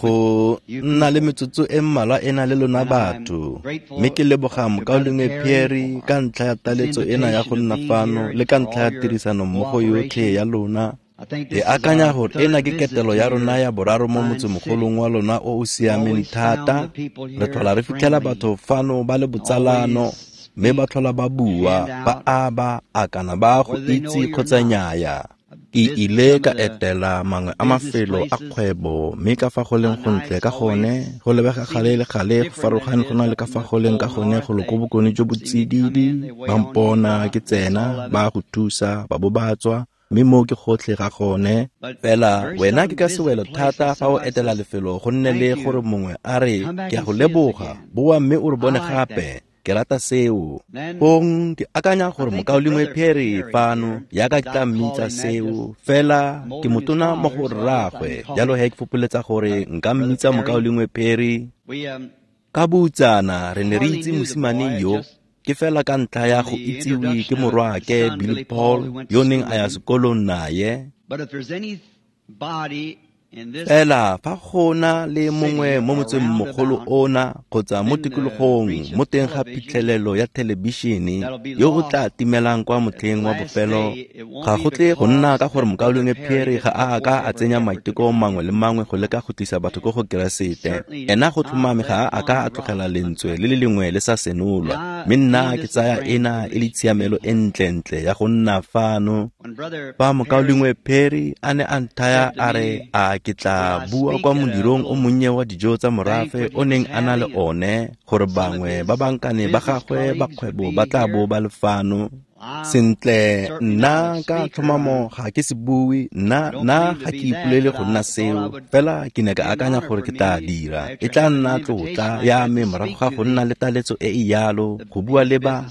Go nna le metsotso e mmalwa e na le lona batho, mme ke leboga mokaulengwe Pearry ka ntlha ya taletso ena ya go nna fano le ka ntlha ya tirisanommogo yotlhe ya lona. Ke akanya gore ena ke ketelo ya rona ya boraro mo motsemogolong wa lona o o siameng thata. Re tlhola re fitlhela batho fano ba le botsalano, mme ba tlhola ba bua, ba aba, a kana ba go itse kgotsa nnyaya. Ke ile ka etela mangwe a mafelo a kgwebo, mme ka fa go leng gontle ka gone, go lebega gale le gale go farologane go na le ka fa go leng ka gone go lo ko bokone jo bo tsididi. Ba mpona ke tsena, ba go thusa, ba bo ba tswa, mme moo ke gotlhe ga gone. Fela wena ke ka sewelo thata fa o etela lefelo go nne le gore mongwe a re, ke a go leboga, boa mme o re bone gape. Ke rata seo. Fong ke akanya gore mokaulengwe Pearry fano, yaka ke tla mmitsa seo, fela ke motona mo go rraagwe, jalo he ke fopoletsa gore nka mmitsa mokaulengwe Pearry. Ka boutsana re ne re itse mosimane yo, ke fela ka ntlha ya go itsiwe ke morwaake Billy Paul, yo neng a ya sekolong naye. Fela fa go na le mongwe mo motsengmogolo ona kgotsa mo tikologong mo teng ga phitlhelelo ya thelebišene yo o tla timelang kwa motlheng wa bofelo, ga go tle go nna ka gore mokaulengwe Pearry ga a ka a tsenya maiteko mangwe le mangwe go leka go tlisa batho ko go Keresete. Ena go tlhomame ga a ka a tlogela lentswe le le lengwe le sa senolwa, mme nna ke tsaya ena e le tshiamelo e ntlentle ya go nna fano. Fa mokaulengwe Pearry a ne a nthaya a re a ke tla bua kwa modirong o monnye wa dijo tsa morafe o neng a na le one, gore bangwe ba bankane ba gagwe ba kgwebo ba tla bo ba le fano. Sentle, nna ka tlhomamo ga ke se bue, nna ga ke ipolele go nna seo, fela ke ne ka akanya gore ke tla dira. E tla nna tlotla ya me morago ga go nna le taletso e e yalo, go bua le ba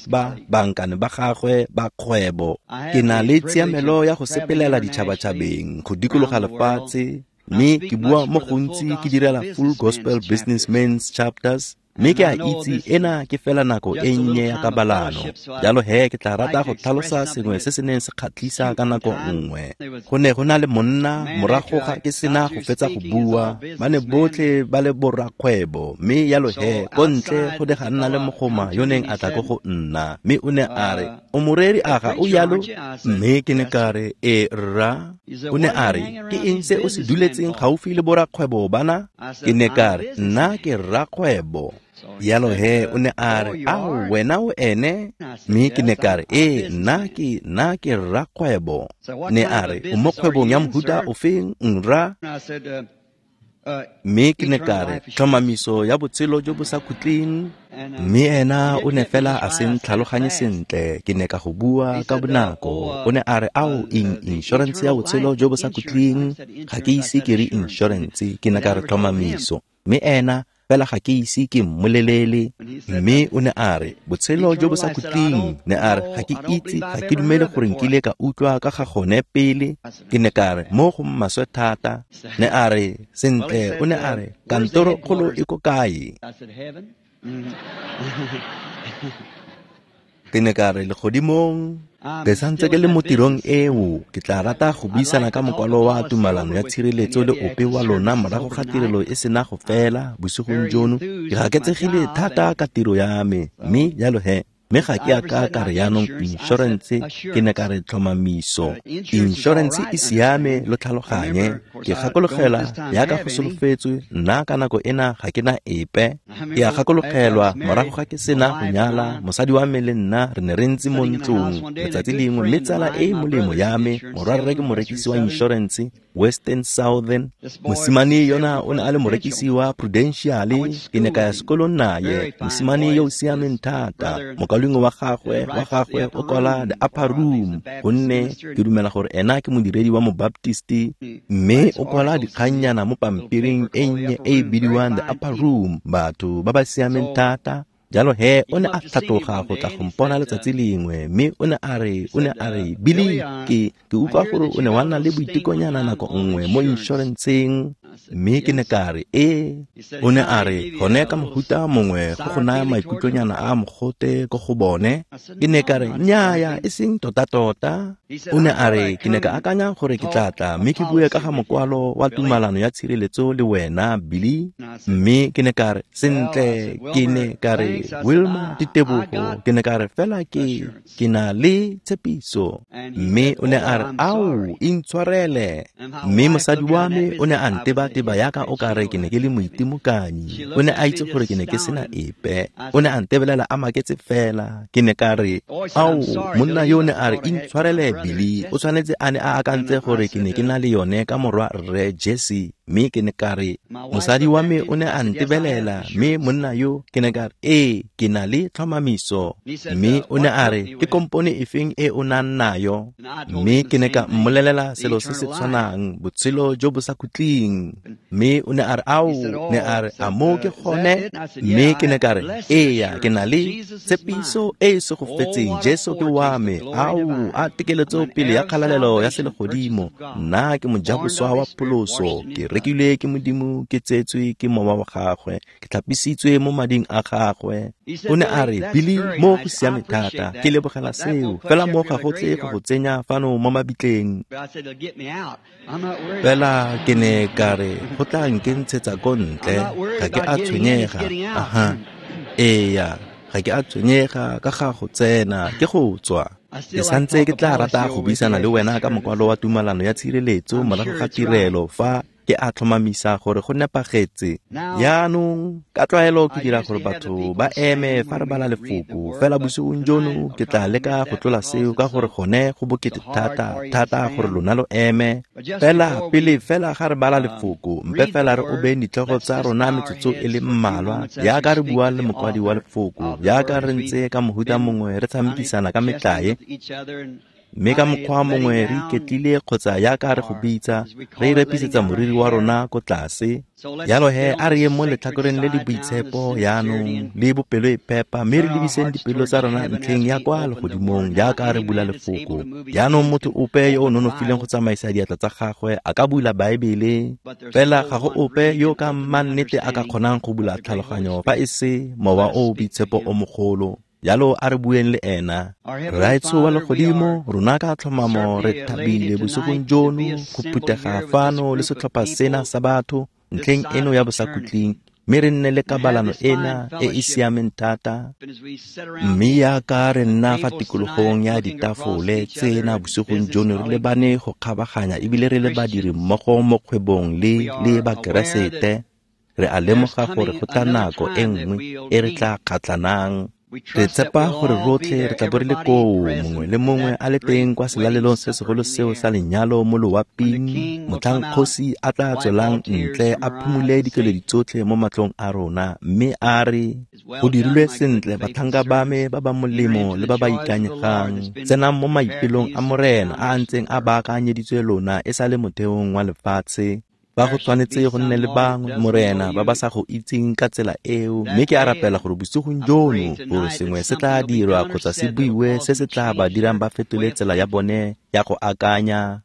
bankane ba gagwe ba kgwebo. Ke na le tshiamelo ya go sepelela ditšhabatšhabeng, go dikologa lefatshe, mme ke bua mo gontsi ke direla Full Gospel Businessmen's Chapters, mme ke a itse ena ke fela nako e nnye ya kabalano. Jalo he ke tla rata go tlhalosa sengwe se se neng se kgatlhisa ka nako nngwe. Go ne go na le monna morago ga ke sena go fetsa go bua, ba ne botlhe ba le borrakgwebo, mme jalo he ko ntle go ne ga nna le mogoma yo neng a tla ko go nna, mme o ne a re, o moreri a ga o yalo? Mme ke ne ka re, e rra. O ne a re, ke eng se o se duletseng gaufi le borrakgwebo bana? Ke ne ka re, nna ke rrakgwebo. Jalo he o ne a re, ao wena o ene? Mme ke ne ka re, ee, nna ke rrakgwebo. Ne a re, o mo kgwebong ya mohuta ofeng, nra? Mme ke ne ka re, tlhomamiso ya botshelo jo bo sa khutleng. Mme ena o ne fela a se ntlhaloganye sentle, ke ne ka go bua ka bonako. O ne a re, ao, eng insurance ya botshelo jo bo sa khutleng? Ga ke ise ke re insurance, ke ne ka re tlhomamiso. Mme ena fela ga ke ise ke mmolelele. Mme o ne a re, botshelo jo bo sa khutleng. Ne a re, ga ke itse, ga ke dumele gore nkile ka utlwa ka ga gone pele. Ke ne ka re, mo go maswe thata. Ne a re, sentle, o ne a re, kantoro kgolo e ko kae? Ke ne ka re, legodimong. Ke santse ke le mo tirong eo, ke tla rata go buisana ka mokwalo wa tumalano ya tshireletso le ope wa lona morago ga tirelo e sena go fela bosigong jono. Ke gaketsegile thata ka tiro ya me, mme jalo he, mme ga ke a ka ka re jaanong insurance, ke ne ka re tlhomamiso. Insurance e siame, lo tlhaloganye. Ke gakologela yaka go solofetswe, nna ka nako ena ga ke na epe. Ke a gakologelwa morago ga ke sena go nyala, mosadi wa me le nna re ne re ntse mo ntlong letsatsi lengwe, mme tsala e e molemo ya me, morwarre ke morekisi wa insurance, Western Southern. Mosimane yona o ne a le morekisi wa Prudential, ke ne ka ya sekolong naye. Mosimane yo o siameng thata, mokaulengwe wa gagwe o kwala The Upper Room, gonne ke dumela gore ena ke modiredi wa Mobaptisti, mme o kwala dikgannyana mo pampiring e nnye e e bidiwang The Upper Room, batho ba ba siameng thata. Jalo he o ne a tlhatloga go tla go mpona letsatsi lengwe, mme o ne a re, Billy, ke utlwa gore o ne wa nna le boitekonyana nako nngwe mo insurance-eng. Mme ke ne ka re, ee. O ne a re, gone ka mohuta mongwe go go naya maikutlonyana a mogote ko go bone. Ke ne ka re, nnyaya, e seng tota-tota. O ne a re, ke ne ka akanya gore ke tla tla mme ke bue ka ga mokwalo wa tumalano ya tshireletso le wena, Billy. Mme ke ne ka re, sentle, ke ne ka re, Wilma, ditebogo, ke ne ka re, fela ke na le tshepiso. Mme o ne a re, ao, intshwarele. Mme mosadi wa me o ne a nteba-teba yaka o ka re ke ne ke le moitimokanyi. O ne a itse gore ke ne ke sena epe. O ne a ntebelela a maketse fela. Ke ne ka re, ao, monna yo ne a re, intshwarele, Billy, o tshwanetse a ne a akantse gore ke ne ke na le yone ka morwa rre Jesse. Mme ke ne ka re, mosadi wa me o ne a ntebelela, mme monna yo ke ne ka re, ee, ke na le tlhomamiso. Mme o ne a re, ke kompone efeng e o nang nayo? Mme ke ne ka mmolelela selo se se tshwanang, botshelo jo bo sa khutleng. Mme o ne a re, ao, ne a re, a mo ke gone? Mme ke ne ka re, eya, ke na le tshepiso e e segofetseng, Jesu ke wa me. Ao, a tekeletso pele ya kgalalelo ya selegodimo. Nna ke mojaboswa wa pholoso, ke rekilwe ke Modimo, ke tsetswe ke mowa wa gagwe, ke tlhapisitswe mo mading a gagwe. O ne a re, Billy, mo go siame thata, ke lebogela seo, fela mo ga go tle go go tsenya fano mo mabitleng. Fela ke ne ka re, go tla nkentshetsa ko ntle, ga ke a tshwenyega. Aha, eya, ga ke a tshwenyega ka ga go tsena, ke go tswa. Ke santse ke tla rata go buisana le wena ka mokwalo wa tumalano ya tshireletso morago ga tirelo fa ke a tlhomamisa gore go nepagetse. Jaanong, ka tlwaelo ke dira gore batho ba eme fa re bala lefoko, fela bosigong jono ke tla leka go tlola seo ka gore gone go bokete thata thata gore lona lo eme. Fela pele fela ga re bala lefoko, mpe fela re obeng ditlhogo tsa rona metsotso e le mmalwa, jaaka re bua le mokwadi wa lefoko, jaaka re ntse ka mohuta mongwe re tshamekisana ka metlae, mme ka mokgwa mongwe re iketlile kgotsa yaka re go bitsa, re repisetsa moriri wa rona ko tlase. Jalo he, a re yeng mo letlhakoreng le le boitshepo jaanong le bopelo e phepa, mme re lebiseng dipelo tsa rona ntlheng ya kwa legodimong jaaka re bula lefoko. Jaanong motho ope yo o nonofileng go tsamaisa diatla tsa gagwe a ka bula Baebele, fela ga go ope yo ka mannete a ka kgonang go bula tlhaloganyo fa e se mowa o boitshepo o mogolo. Jalo a re bueng le ena. Rraetsho wa legodimo, rona ka tlhomamo re thabile bosigong jono go phuthega fano le setlhopha sena sa batho ntlheng eno ya bosakhutleng, mme re nne le kabalano ena e e siameng thata. Mme yaka re nna fa tikologong ya ditafole tsena bosigong jono re lebane go kgabaganya ebile re le badiri mmogo mo kgwebong le Bakeresete, re a lemoga gore go tla nako e nngwe e re tla kgatlhanang. Re tshepa gore rotlhe re tla bo re le koo, mongwe le mongwe a le teng kwa selalelong se segolo seo sa lenyalo mo loaping, motlhang kgosi a tla tswelang ntle a phumule dikeledi tsotlhe mo matlong a rona, mme a re, go dirilwe sentle batlhanka ba me ba ba molemo le ba ba ikanyegang, tsenang mo maipelong a Morena a a ntseng a baakanyeditswe lona e sa le motheong wa lefatshe. Ba go tshwanetse go nne le bangwe, Morena, ba ba sa go itseng ka tsela eo, mme ke a rapela gore bosigong jono gore sengwe se tla dirwa kgotsa se buiwe se se tla ba dirang ba fetole tsela ya bone ya go akanya,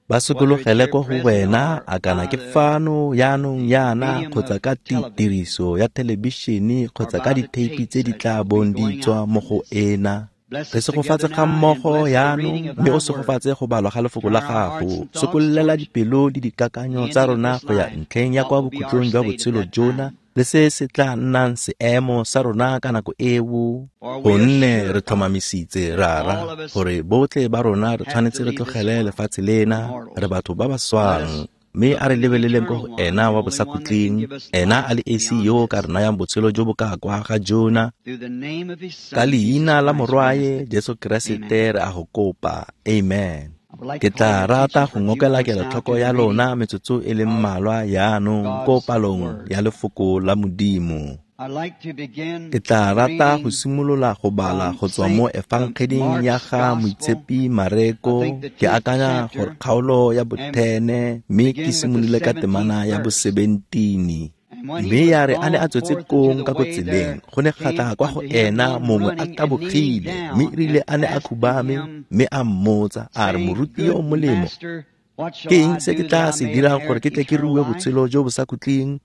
ba sokologele ko go wena, a kana ke fano jaanong yana kgotsa ka tiriso ya thelebišene kgotsa ka ditheipi tse di tla bong di tswa mo go ena. Re segofatse ga mmogo jaanong, mme o segofatse go balwa ga lefoko la gago. Sokollela dipelo le dikakanyo tsa rona go ya ntlheng ya kwa bokhutlong jwa botshelo jona, le se se tla nnang seemo sa rona ka nako eo. Gonne re tlhomamisitse, Rara, gore botlhe ba rona re tshwanetse re tlogele lefatshe lena, re batho ba ba swang. Mme a re lebeleleng ko go ena wa bosakhutleng, ena a le esi yo ka re nayang botshelo jo bo ka kwa ga jona. Ka leina la morwae Jesu Keresete re a go kopa, amen. Ke tla rata go ngokela kelotlhoko ya lona metsotso e le mmalwa jaanong ko palong ya lefoko la Modimo. Ke tla rata go simolola go bala go tswa mo Efangeding ya ga Moitshepi Mareko, ke akanya gore kgaolo ya bo-10, mme ke simolole ka temana ya bo-17. Mme ya re a ne a tswetse kong ka ko tseleng, go ne ga tla kwa go ena mongwe a tabogile, mme erile a ne a khubame, mme a mmotsa a re, moruti yo o molemo, Ke eng se ke tla se dirang gore ke tle ke rue botshelo jo bo sa khutleng?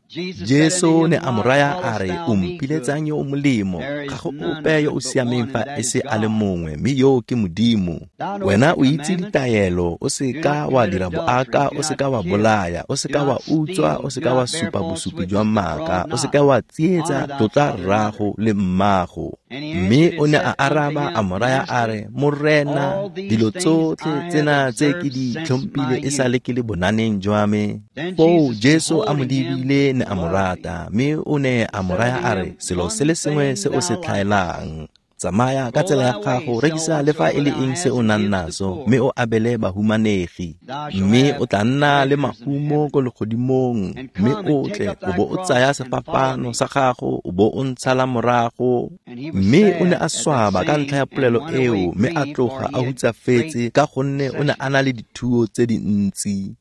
Jesu ne a mo raya a re, o mpiletsang yo o molemo? Ga go ope yo o siameng fa e se a le mongwe, mme yo ke Modimo. Wena o itse ditaelo, o se ka wa dira boaka, o se ka wa bolaya, o se ka wa utswa, o se ka wa supa bosupi jwa maaka, o se ka wa tsietsa, tlotla rrago le mmago. Mme o ne a araba a mo raya a re, Morena, dilo tsotlhe tsena tse ke di tlhompile e sale ke le bonaneng jwa me. Foo Jesu a mo lebile ne a mo rata, mme o ne a mo raya a re, selo se le sengwe se o se tlhaelang, tsamaya ka tsela ya gago, rekisa le fa e le eng se o nang naso, mme o abele bahumanegi, mme o tla nna le mahumo ko legodimong, mme o tle o bo o tsaya sefapano sa gago o bo o ntshala morago. Mme o ne a swaba ka ntlha ya polelo eo, mme a tloga a hutsafetse ka gonne o ne a na le dithuo tse dintsi.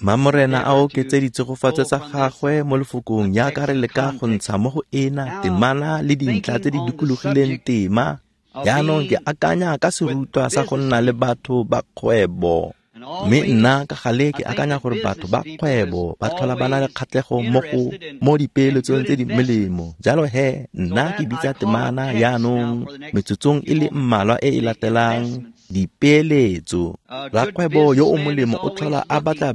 Mamorena a oketse ditsegofatso tsa gagwe mo lefokong jaaka re leka go ntsha mo go ena temana le dintlha tse di dikologileng tema. Jaanong ke akanya ka serutwa sa go nna le batho ba kgwebo. Mme nna ka gale ke akanya gore batho ba kgwebo ba tlhola ba na le kgatlhego mo dipeeletsong tse di molemo. Jalo he, nna ke bitsa temana jaanong metsotsong e le mmalwa e e latelang, dipeeletso. Rakgwebo yo o molemo o tlhola a batla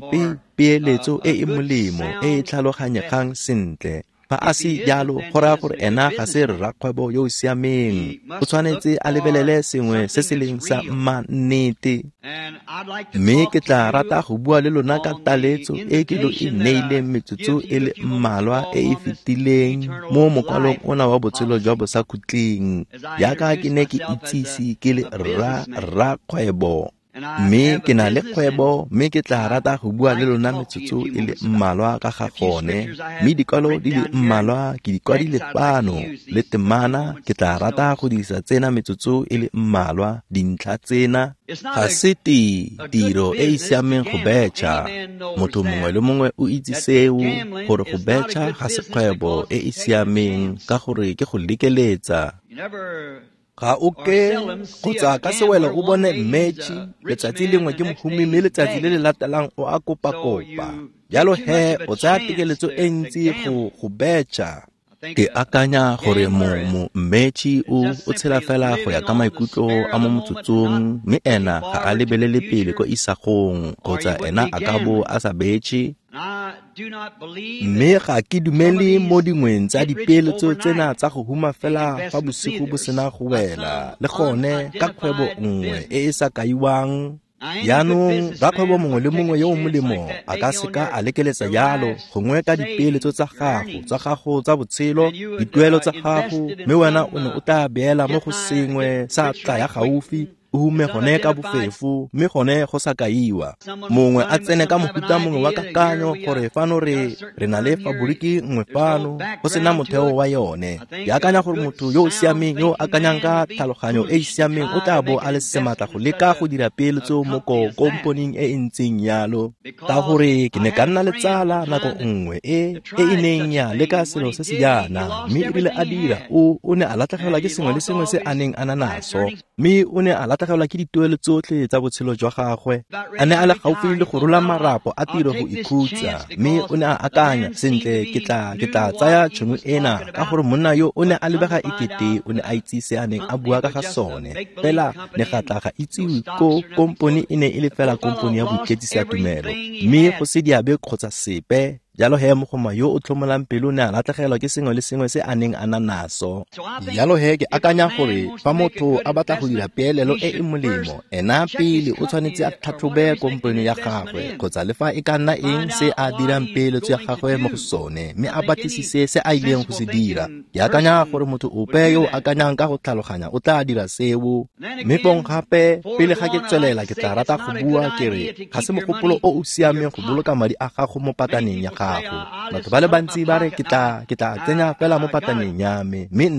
peeletso e e molemo e e tlhaloganyegang sentle. Fa a se jalo, go raya gore ena ga se rrakgwebo yo o siameng. O tshwanetse a lebelele sengwe se se leng sa mannete. Mme ke tla rata go bua le lona ka taletso e ke lo e neileng metsotso e le mmalwa e e fetileng mo mokwalong ona wa botshelo jwa bosakhutleng, jaaka ke ne ke itsise ke le rrakgwebo. Mme ke na le kgwebo, mme ke tla rata go bua le lona metsotso e le mmalwa ka ga gone. Mme dikwalo di le mmalwa ke di kwadile fano le temana, ke tla rata go dirisa tsena metsotso e le mmalwa dintlha tsena. Ga se tiro e e siameng go betšha. Motho mongwe le mongwe o itse seo, gore go betšha ga se kgwebo e e siameng ka gore ke go lekeletsa. Ga o ke kgotsa ka sewelo o bone mmetšhi letsatsi lengwe ke mohumi, mme letsatsi le le latelang o a kopa-kopa. Jalo he o tsaya tekeletso e ntsi go betšha. Ke akanya gore mmetšhi o tshela fela go ya ka maikutlo a mo motsotsong, mme ena ga a lebelele pele ko isagong, kgotsa ena a ka bo a sa betšhe. Mme ga ke dumele mo dingweng tsa dipeeletso tsena tsa go huma fela fa bosigo bo sena go wela, le gone ka kgwebo nngwe e e sa kaiwang. Jaanong rakgwebo mongwe le mongwe yo o molemo a ka seka a lekeletsa jalo, gongwe ka dipeeletso tsa gago tsa botshelo, dituelo tsa gago, mme wena o ne o tla beela mo go sengwe sa tla ya gaufi, o hume gone ka bofefo, mme gone go sa kaiwa. Mongwe a tsene ka mohuta mongwe wa kakanyo gore fano re na le faboriki nngwe fano, go sena motheo wa yone. Ke akanya gore motho yo o siameng, yo o akanyang ka tlhaloganyo e e siameng, o tla bo a le sematla go leka go dira peeletso mo komponing e e ntseng jalo. Ka gore ke ne ka nna le tsala nako nngwe e e neng ya leka selo se se jaana, mme erile a dira, o ne a latlhegelwa ke sengwe le sengwe se a neng a na naso, mme o ne a latlhegelwa ke dituelo tsotlhe tsa botshelo jwa gagwe. A ne a le gaufi le go rola marapo a tiro go ikhutsa, mme o ne a akanya, sentle, ke tla tsaya tšhono ena, ka gore monna yo o ne a lebega ekete o ne a itse se a neng a bua ka ga sone. Fela ne ga tla ga itsiwe ko kompone e ne e le fela kompone ya boiketsisa tumelo, mme go se diabe kgotsa sepe. Jalo he mogoma yo o tlhomolang pelo ne a latlhegelwa ke sengwe le sengwe se a neng a na naso. Jalo he ke akanya gore fa motho a batla go dira peelelo e e molemo, ena pele o tshwanetse a tlhatlhobe kompone ya gagwe, kgotsa le fa e ka nna eng se a dirang peeletso ya gagwe mo go sone, mme a batlisise se a ileng go se dira. Ke akanya gore motho ope yo o akanyang ka go tlhaloganya o tla dira seo. Mme fong gape, pele ga ke tswelela, ke tla rata go bua ke re ga se mogopolo o o siameng go boloka madi a gago mo pataneng ya gago. Batho ba le bantsi ba re ke tla tsenya fela mo pataneng ya me, mme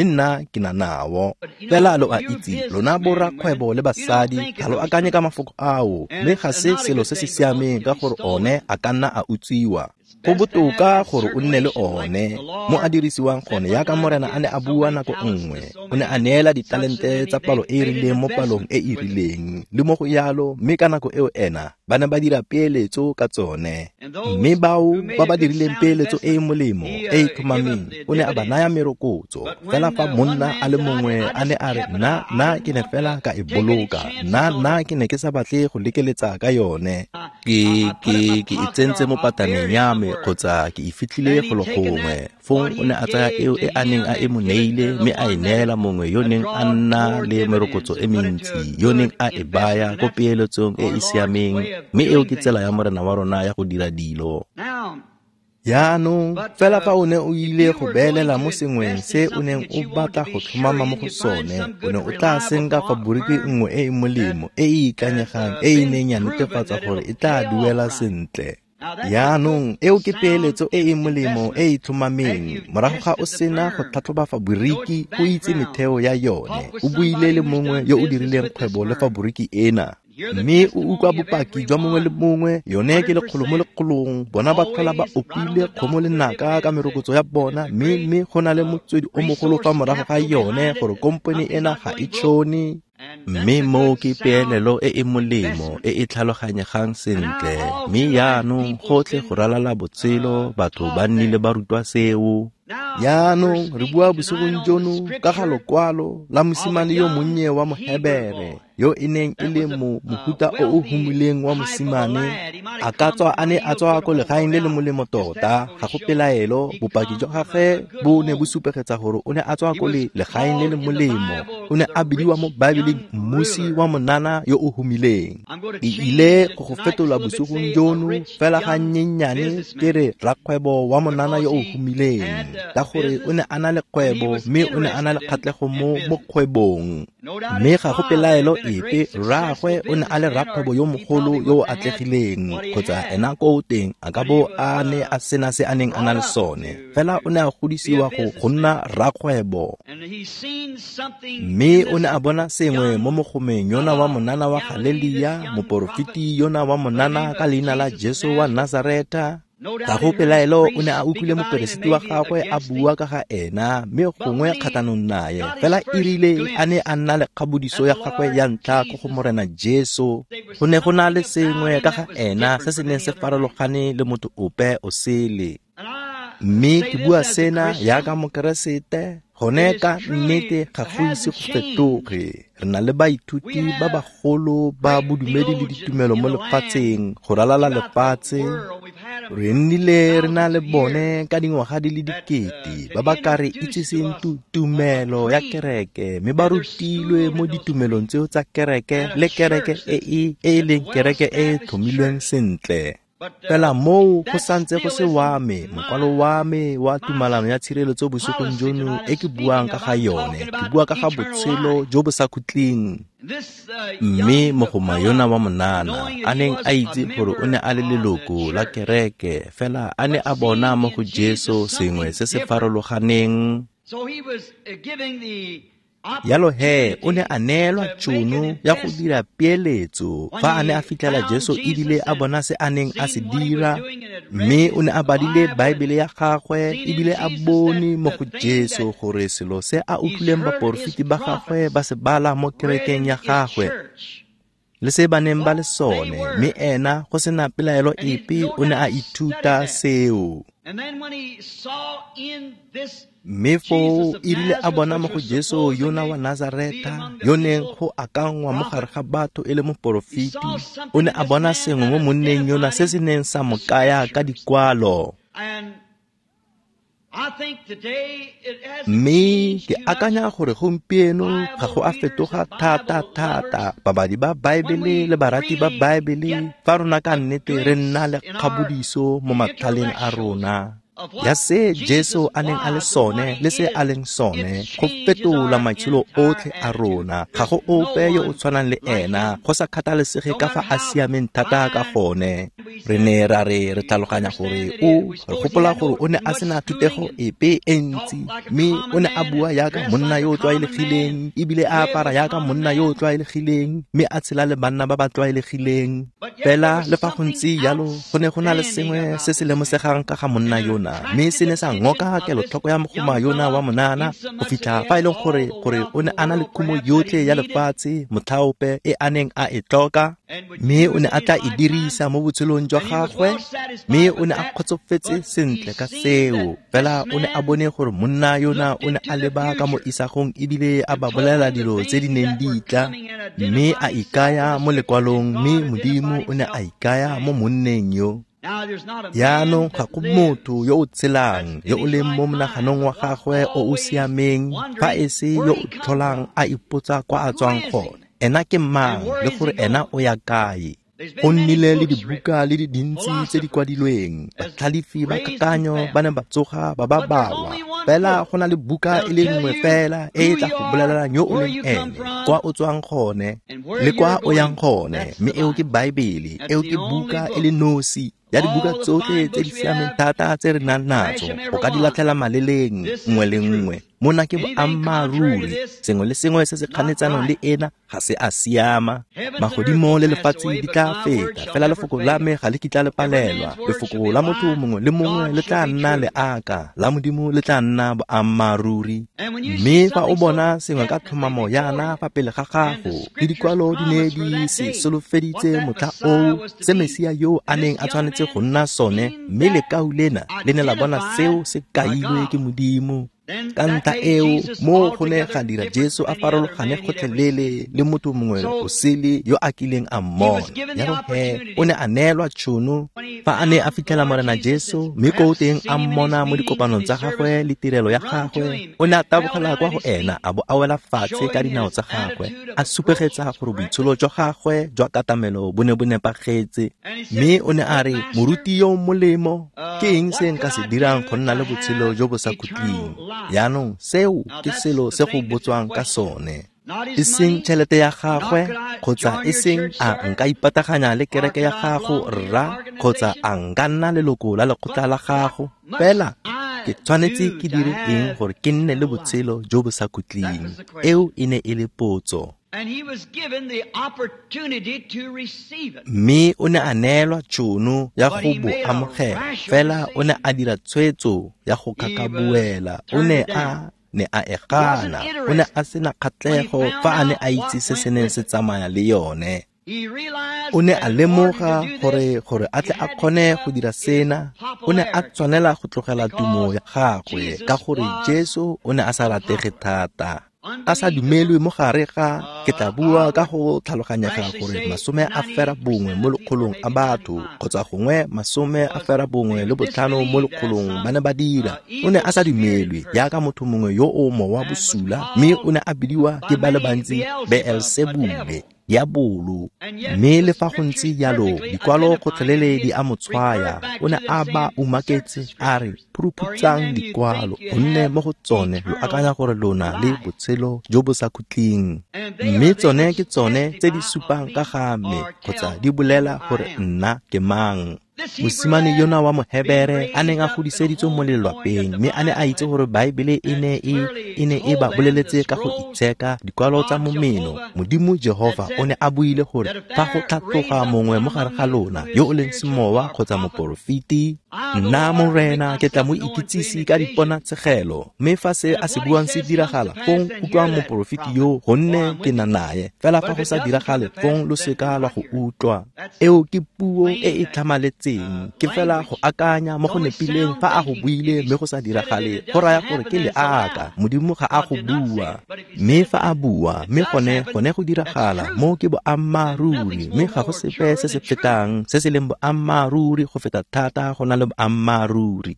nna ke na nao. Fela lo a itse, lona borrakgwebo le basadi ga lo akanye ka mafoko ao, mme ga se selo se se siameng ka gore one a ka nna a utswiwa. Go botoka gore o nne le one mo a dirisiwang gone yaka Morena a ne a bua nako nngwe. O ne a neela ditalente tsa palo e e rileng mo palong e e rileng le mo go yalo, mme ka nako eo ena ba ne ba dira peeletso ka tsone. Mme bao ba ba dirileng peeletso e e molemo e e tlhomameng, o ne a ba naya merokotso. Fela fa monna a le mongwe a ne a re, nna ke ne fela ka e boloka, nna ke ne ke sa batle go lekeletsa ka yone, ke e tsentse mo pataneng ya me kgotsa ke e fitlhile golo gongwe. Fong o ne a tsaya eo e a neng a e mo neile mme a e neela mongwe yo neng a nna le merokotso e mentsi, yo neng a e baya ko peeletsong e e siameng. Mme eo ke tsela ya Morena wa rona ya go dira dilo. Jaanong, fela fa o ne o ile go beelela mo sengweng se o neng o batla go tlhomama mo go sone, o ne o tla senka faboriki nngwe e e molemo, e e ikanyegang, e e neng ya netefatsa gore e tla duela sentle. Jaanong, eo ke peeletso e e molemo e e tlhomameng. Morago ga o sena go tlhatlhoba faboriki, o itse metheo ya yone, o buile le mongwe yo o dirileng kgwebo le faboriki ena, mme o utlwa bopaki jwa mongwe le mongwe, yone ke lekgolo mo lekgolong. Bona ba tlhola ba opile kgomo le naka ka merokotso ya bona, mme go na le motswedi o mogolo fa morago ga yone gore kompone ena ga e tšhone. Mme moo ke peelelo e e molemo e e tlhaloganyegang sentle. Mme jaanong gotlhe go ralala botshelo batho ba nnile ba rutwa seo. Jaanong re bua bosigong jono ka ga lokwalo la mosimane yo monnye wa Mohebere, yo e neng e le mohuta o o humileng wa mosimane. A ka tswa a ne a tswa ko legaeng le le molemo tota, ga go pelaelo. Bopaki jwa gagwe bo ne bo supegetsa gore o ne a tswa ko legaeng le le molemo. O ne a bidiwa mo Baebeleng mmusi wa monana yo o humileng. Ke ile go go fetola bosigong jono fela ga nnyennyane ke re rakgwebo wa monana yo o humileng, ka gore o ne a na le kgwebo mme o ne a na le kgatlhego mo kgwebong. Mme ga go pelaelo epe, rraagwe o ne a le rakgwebo yo mogolo yo o atlegileng, kgotsa ena ko teng a ka bo a ne a sena se a neng a na le sone. Fela o ne a godisiwa go nna rakgwebo. Mme o ne a bona sengwe mo mogomeng yona wa monana wa Galelia, moporofeti yona wa monana ka leina la Jesu wa Nazareta. Ga go pelaelo o ne a utlwile moperesiti wa gagwe a bua ka ga ena, mme gongwe kgatlhanong naye. Fela e rile a ne a nna le kgabodiso ya gagwe ya ntlha ko go Morena Jesu, go ne go na le sengwe ka ga ena se se neng se farologane le motho ope o sele. Mme ke bua sena yaka Mokeresete, gone ka nnete ga go ise go fetoge. Re na le baithuti ba bagolo ba bodumedi le ditumelo mo lefatsheng, go ralala lefatshe. Re nnile re na le bone ka dingwaga di le dikete ba ba ka re itseseng tumelo ya kereke, mme ba rutilwe mo ditumelong tseo tsa kereke le kereke e e leng kereke e e tlhomilweng sentle. Fela moo go santse go se wa me, mokwalo wa me wa tumalano ya tshireletso bosigong jono e ke buang ka ga yone. Ke bua ka ga botshelo jo bo sa khutleng. Mme mogoma yona wa monana a neng a itse gore o ne a le leloko la kereke, fela a ne a bona mo go Jesu sengwe se se farologaneng. Yalo he, o ne a neelwa tšhono ya go dira peeletso fa a ne a fitlhela Jesu ebile a bona se a neng a se dira, mme o ne a badile Baebele ya gagwe ebile a bone mo go Jesu gore selo se a utlwileng baporofeti ba gagwe ba se bala mo kerekeng ya gagwe le se ba neng ba le sone, mme ena go sena pelaelo epe o ne a ithuta seo. Mme foo e rile a bona mo go Jesu yona wa Nazareta, yo neng go akangwa mo gare ga batho e le moporofeti, o ne a bona sengwe mo monneng yona se se neng sa mo kaya ka dikwalo. Mme ke akanya gore gompieno ga go a fetoga thata-thata. Babadi ba Baebele le barati ba Baebele, fa rona ka nnete re nna le kgabodiso mo matlhaleng a rona ya se Jesu a neng a le sone le se a leng sone, go fetola maitsholo otlhe a rona. Ga go ope yo o tshwanang le ena, go sa kgathalesege ka fa a siameng thata ka gone. Re ne ra re re tlhaloganya gore o re gopola gore o ne a sena thutego epe e ntsi, mme o ne a bua yaka monna yo o tlwaelegileng, ebile a apara yaka monna yo o tlwaelegileng, mme a tshela le banna ba ba tlwaelegileng. Fela le fa go ntse jalo, go ne go na le sengwe se se lemosegang ka ga monna yona, mme se ne sa ngoka kelotlhoko ya mogoma yona wa monana, go fitlha fa e leng gore o ne a na le khumo yotlhe ya lefatshe motlhaope e a neng a e tlhoka, mme o ne a tla e dirisa mo botshelong jwa gagwe, mme o ne a kgotsofetse sentle ka seo. Fela o ne a bone gore monna yona o ne a leba ka mo isagong ebile a ba bolela dilo tse di neng di tla, mme a ikaya mo lekwalong, mme Modimo o ne a ikaya mo monneng yo. Jaanong ga go motho yo o tshelang yo o leng mo monaganong wa gagwe o o siameng fa e se yo o tlholang a ipotsa kwa a tswang gone, ena ke mang le gore ena o ya kae. Go nnile le dibuka le di dintsi tse di kwadilweng, batlhalefi ba kakanyo ba ne ba tsoga ba ba balwa, fela go na le buka e le nngwe fela e e tla go bolelelang yo o leng ene, kwa o tswang gone le kwa o yang gone, mme eo ke Baebele. Eo ke buka e le nosi ya dibuka tsotlhe tse di siameng thata tse re nang natso, o ka di latlhela maleleng nngwe le nngwe. Mona ke boammaaruri, sengwe le sengwe se se kganetsanong le ena ga se a siama. Magodimo le lefatshe di tla feta, fela lefoko la me ga le kitla le palelwa. Lefoko la motho mongwe le mongwe le tla nna leaka, la Modimo le tla nna boammaaruri. Mme fa o bona sengwe ka tlhomamo yana fa pele ga gago, le dikwalo di ne di se solofeditse motlha oo, se Mesia yo a neng a tshwanetse go nna sone, mme lekau lena le ne la bona seo se kailwe ke Modimo. Ka ntlha eo, mo go ne ga dira Jesu a farologane gotlhelele le motho mongwe o sele yo a kileng a mmona. Jalo he, o ne a neelwa tšhono fa a ne a fitlhela Morena Jesu, mme ko teng a mmona mo dikopanong tsa gagwe le tirelo ya gagwe. O ne a tabogela kwa go ena a bo a wela fatshe ka dinao tsa gagwe, a supegetsa gore boitsholo jwa gagwe jwa katamelo bo ne bo nepagetse. Mme o ne a re, moruti yo molemo, ke eng se nka se dirang go nna le botshelo jo bo sa khutleng? Jaanong seo ke selo se go botswang ka sone, e seng tšhelete ya gagwe, kgotsa e seng a nka ipataganya le kereke ya gago rra, kgotsa a nka nna leloko la lekgotla la gago, fela ke tshwanetse ke dire eng gore ke nne le botshelo jo bo sa khutleng? Eo e ne e le potso. Mme o ne a neelwa tšhono ya go bo amogela, fela o ne a dira tshwetso ya go kakabuela. O ne a ne a e gana, o ne a sena kgatlhego fa a ne a itse se se neng se tsamaya le yone. O ne a lemoga gore a tle a kgone go dira sena, o ne a tshwanela go tlogela tumo ya gagwe, ka gore Jesu o ne a sa ratege thata, a sa dumelwe mo gare ga, ke tla bua ka go tlhaloganyega gore 90 mo lekgolong a batho, kgotsa gongwe 95 mo lekgolong ba ne ba dira. O ne a sa dumelwe jaaka motho mongwe yo o mowa bosula, mme o ne a bidiwa ke ba le bantsi Beelsebule, diabolo. Mme le fa go ntse jalo, dikwalo gotlhelele di a mo tshwaya. O ne a ba umaketse a re, phuruphutsang dikwalo, gonne mo go tsone lo akanya gore lona le botshelo jo bo sa khutleng, mme tsone ke tsone tse di supang ka ga me, kgotsa di bolela gore nna ke mang. Mosimane yona wa Mohebere a neng a godiseditswe mo lelwapeng, mme a ne a itse gore Baebele e ne e ba boleletse ka go itsheka dikwalo tsa momeno. Modimo Jehova o ne a buile gore fa go tlhatloga mongwe mo gare ga lona yo o leng semowa kgotsa moporofeti, nna Morena ke tla mo ikitsise ka diponatshegelo, mme fa se a se buang se diragala, fong utlwang moporofeti yo, gonne ke na naye. Fela fa go sa diragale, fong lo seka lwa go utlwa. Eo ke puo e e tlhamaletseng, ke fela go akanya mo go nepileng fa a go buile mme go sa diragale, go raya gore ke leaka, Modimo ga a go bua. Mme fa a bua, mme gone go diragala, mo ke boammaaruri, mme ga go sepe se se fetang se se leng boammaaruri go feta thata go na le boammaaruri.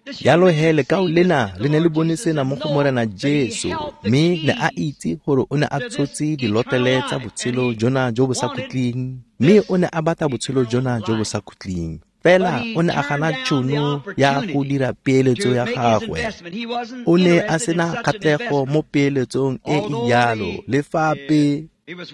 Jalo he lekau lena le ne le bone sena mo go Morena Jesu, mme ne a itse gore o ne a tshotse dilotlele tsa botshelo jona jo bo sa khutleng, mme o ne a batla botshelo jona jo bo sa khutleng. Fela o ne a gana tšhono ya go dira peeletso ya gagwe. O ne a sena kgatlhego mo peeletsong e e jalo, le fa pe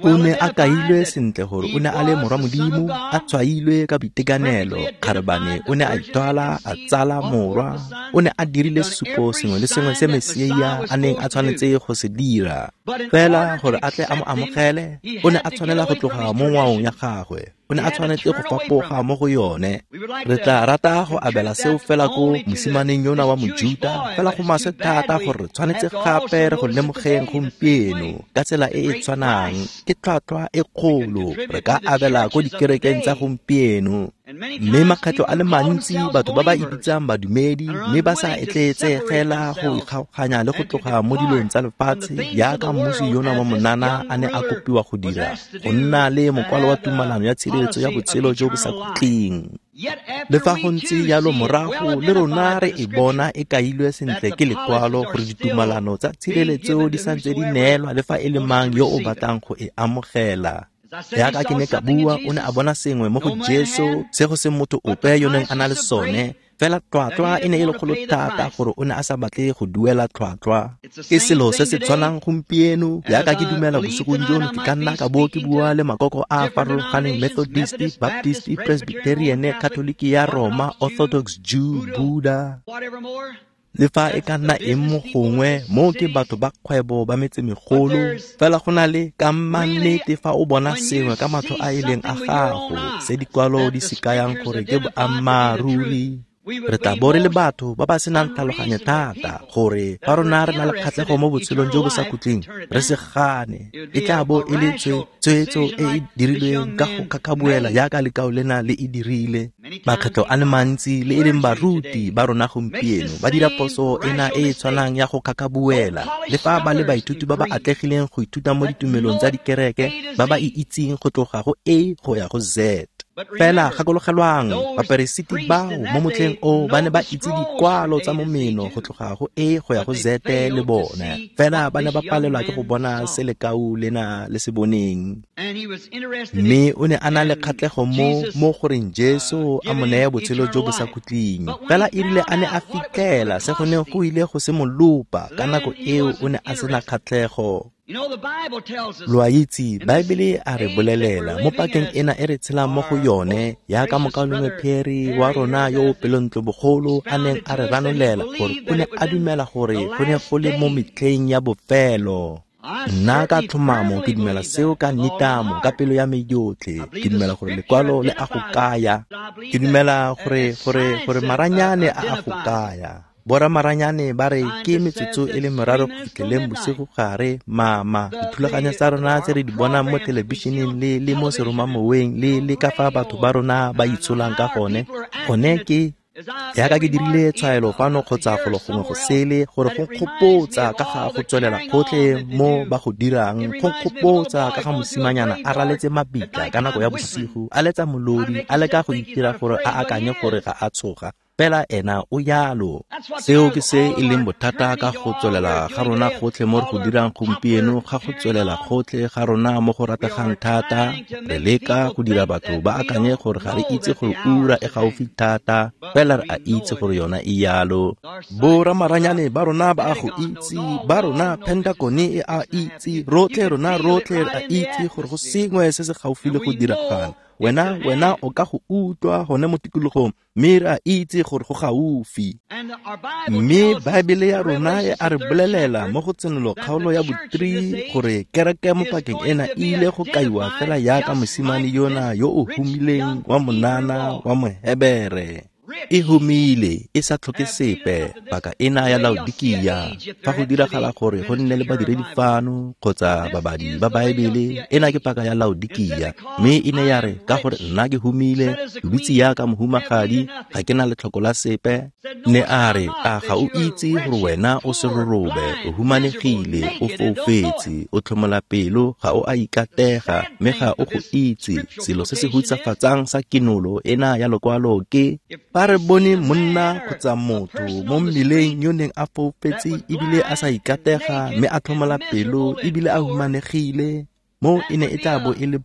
O ne a kailwe sentle gore o ne a le morwa Modimo, a tshwailwe ka boitekanelo. Kgarebane o ne a ithwala, a tsala morwa. O ne a dirile sesupo sengwe le sengwe se Mesia a neng a tshwanetse go se dira. Fela gore a tle a mo amogele, o ne a tshwanela go tloga mo ngwaong ya gagwe. O ne a tshwanetse go fapoga mo go yone. Re tla rata go abela seo fela ko mosimaneng yona wa Mojuta, fela go maswe thata gore re tshwanetse gape re go lemogeng gompieno ka tsela e e tshwanang. Ke tlhwatlhwa e kgolo re ka abela ko dikerekeng tsa gompieno. Mme makgetlho a le mantsi batho ba ba ipitsang badumedi mme ba sa etleetsegela go ikgaoganya le go tloga mo dilong tsa lefatshe jaaka mmusi yona wa monana a ne a kopiwa go dira, go nna le mokwalo wa tumalano ya tshireletso ya botshelo jo bo sa khutleng. Le fa go ntse jalo morago le rona re e bona e kailwe sentle ke lekwalo gore ditumalano tsa tshireletso di santse di neelwa le fa e le mang yo o batlang go e amogela. Jaaka ke ne ka bua, o ne a bona sengwe mo go Jesu se go se motho ope yo neng a na le sone. Fela tlhwatlhwa e ne e le kgolo thata gore o ne a sa batle go duela tlhwatlhwa. Ke selo se se tshwanang gompieno. Jaaka ke dumela bosigong jono, ke ka nna ka bo ke bua le makoko a a farologaneng, Methodist, Baptist, Presbyterian, Catholic ya Roma, Orthodox Jew, Buddha, le fa e ka nna eng mo gongwe. Mo ke batho ba kgwebo ba metsemegolo. Fela go na le ka mannete fa o bona sengwe ka matlho a e leng a gago se dikwalo di se kayang gore ke boammaaruri. Re tla bo re le batho ba ba senang tlhaloganyo thata gore fa rona re na le kgatlhego mo botshelong jo bo sa khutleng re se gane. E tla bo e le tshwetso e e dirilweng ka go kgakgabuela jaaka lekao lena le e dirile. Makgetlho a le mantsi le e leng baruti ba rona gompieno ba dira phoso ena e e tshwanang ya go kgakgabuela, le fa ba le baithuti ba ba atlegileng go ithuta mo ditumelong tsa dikereke ba ba e itseng go tloga go A go ya go Z. Fela gakologelwang, baperesiti bao mo motlheng o ba ne ba itse dikwalo tsa momeno go tloga go A go ya go Z le bone. Fela ba ne ba palelwa ke go bona se lekau lena le se boneng. Mme o ne a na le kgatlhego mo goreng Jesu a mo neye botshelo jo bo sa khutleng. Fela e rile a ne a fitlhela se go neng go ile go se mo lopa, ka nako eo o ne a sena kgatlhego. Lo a itse, Baebele a re bolelela mo pakeng ena e re tshelang mo go yone, jaaka mokaulengwe Perry wa rona yo o pelontlo bogolo a neng a re ranolela gore o ne a dumela gore go ne go le mo metlheng ya bofelo. Nna ka tlhomamo ke dumela seo ka nitamo ka pelo ya me yotlhe. Ke dumela gore lekwalo le a go kaya. Ke dumela gore maranyane a a go kaya. Bora maranyane ba re ke metsotso e le meraro go fitlheleng bosigo gare. Mama, dithulaganyo tsa rona tse re di bonang mo thelebišeneng le mo seromamoweng le ka fa batho ba rona ba itsholang ka gone, gone ke jaaka ke dirile tshwaelo fano kgotsa golo gongwe go sele gore go nkgopotsa ka ga go tswelela gotlhe mo ba go dirang, go nkgopotsa ka ga mosimanyana a raletse mabitla ka nako ya bosigo, a letsa molodi, a leka go itira gore a akanye gore ga a tshoga. Fela ena o yalo. Seo ke se e leng bothata ka go tswelela ga rona gotlhe mo re go dirang gompieno, ga go tswelela gotlhe ga rona mo go rategang thata. Re leka go dira batho ba akanye gore ga re itse gore ura e gaufi thata, fela re a itse gore yona e yalo. Bo ramaranyane ba rona ba a go itse, ba rona Pentagon e a itse, rotlhe rona rotlhe re a itse gore go sengwe se se gaufi le go diragala. Wena o ka go utlwa gone mo tikologong, mme re a itse gore go gaufi. Mme Baebele ya rona e a re bolelela mo go Tsenolo kgaolo ya bo-3 gore kereke mo pakeng ena e ile go kaiwa fela jaaka mosimane yona yo o humileng wa monana wa Mohebere. E humile, e sa tlhoke sepe, paka ena ya Laodikia. Fa go diragala gore go nne le badiredi fano kgotsa babadi ba Baebele, ena ke paka ya Laodikia. Mme e ne ya re ka gore nna ke humile, ke dutse jaaka mohumagadi, ga ke na letlhoko la sepe. Ne a re, a ga o itse gore wena o serorobe, o humanegile, o foufetse, o tlhomola pelo, ga o a ikatega, mme ga o go itse. Selo se se hutsafatsang sa kinolo ena ya lokwalo ke fa re bone monna kgotsa motho mo mmileng yo neng a foufetse ebile a sa ikatega mme a tlhomola pelo ebile a humanegile, mo e ne e tla bo e le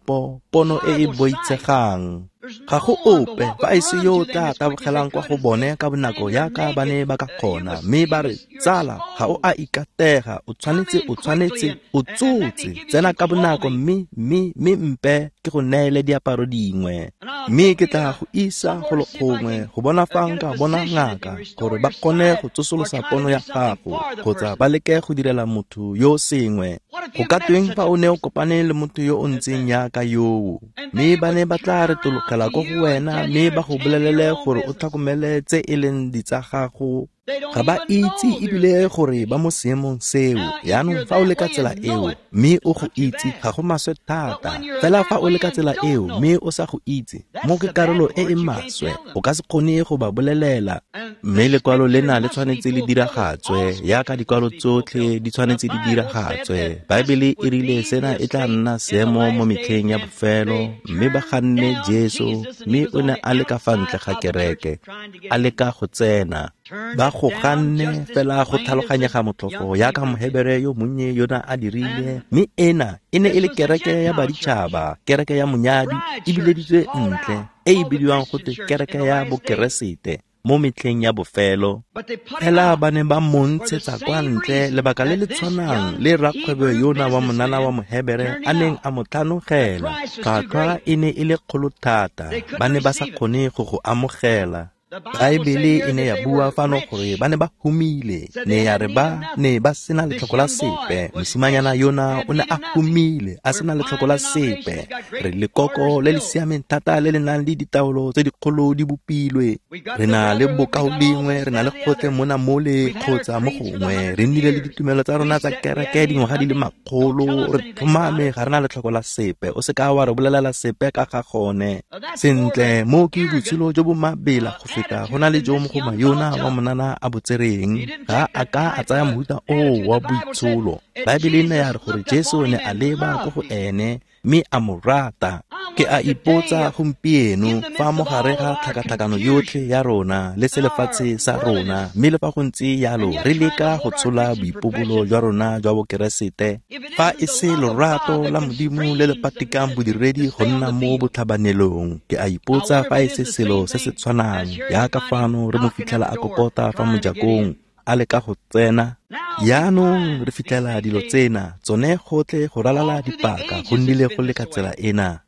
pono e e boitshegang. Ga go ope fa e se yo o tla tabogelang kwa go bone ka bonako yaka ba ne ba ka kgona, mme ba re, tsala, ga o a ikatega, o tshwanetse, o tsotse, tsena ka bonako mme mpe ke go neele diaparo dingwe. Mme ke tla go isa golo gongwe go bona fa nka bona ngaka gore ba kgone go tsosolosa pono ya gago kgotsa ba leke go direla motho yo sengwe. Go ka tweng fa o ne o kopane le motho yo o ntseng yaka yoo? Mme ba ne ba tla retologela ko go wena mme ba go bolelele gore o tlhokomele tse e leng ditsa gago. Ga ba itse ebile gore ba mo seemong seo. Yaanong fa o le ka tsela eo mme o go itse, ga go maswe thata. Fela fa o le ka tsela eo mme o sa go itse, mo ke karolo e e maswe, o ka se kgone go ba bolelela. Mme lekwalo lena le tshwanetse le diragatswe, yaka dikwalo tsotlhe di tshwanetse di diragatswe. Baebele e rile sena e tla nna seemo mo metlheng ya bofelo, mme ba ganne Jesu, mme o ne a le ka fa ntle ga kereke, a leka go tsena. Ba go ganne fela go tlhaloganyega motlhofo yaka Mohebere yo monnye yona a dirile, mme ena e ne e le kereke ya baditšhaba, kereke ya monyadi e bileditswe ntle, e e bidiwang gote kereke ya bokeresete mo metlheng ya bofelo. Fela ba ne ba mo ntshetsa kwa ntle lebaka le le tshwanang le rakgwebo yona wa monana wa Mohebere a neng a mo tlhanogela. Tlhwatlhwa e ne e le kgolo thata, ba ne ba sa kgone go go amogela. Baebele e ne ya bua fano gore ba ne ba humile, ne ya re ba ne ba sena letlhoko la sepe. Mosimanyana yona o ne a humile, a sena letlhoko la sepe. Re lekoko le le siameng thata le le nang le ditaolo tse dikgolo di bopilwe. Re na le bokaulengwe, re na le gotlhe mona mole kgotsa mo gongwe. Re nnile le ditumelo tsa rona tsa kereke dingwaga di le makgolo, re tlhomame ga re na letlhoko la sepe. O se ka wa re bolelela sepe ka ga gone. Sentle, mo ke botshelo jo bo mabela go feta go na le jo mogoma yona wa monana a bo tsereng. Ga a ka a tsaya mohuta oo wa boitsholo. Baebele ne ya re gore Jesu ne a leba ko go ene mme a mo rata. Ke a ipotsa gompieno fa mo gare ga tlhakatlhakano yotlhe ya rona le selefatshe sa rona, mme le fa go ntse yalo re leka go tshola boipobolo jwa rona jwa bokeresete, fa e se lorato la Modimo le le patikang bodiredi go nna mo botlhabanelong. Ke a ipotsa fa e se selo se se tshwanang yaka fano re mo fitlhela a kokota fa mojakong a leka go tsena. Yaanong re fitlhela dilo tsena tsone gotlhe go ralala dipaka go nnile go le ka tsela ena.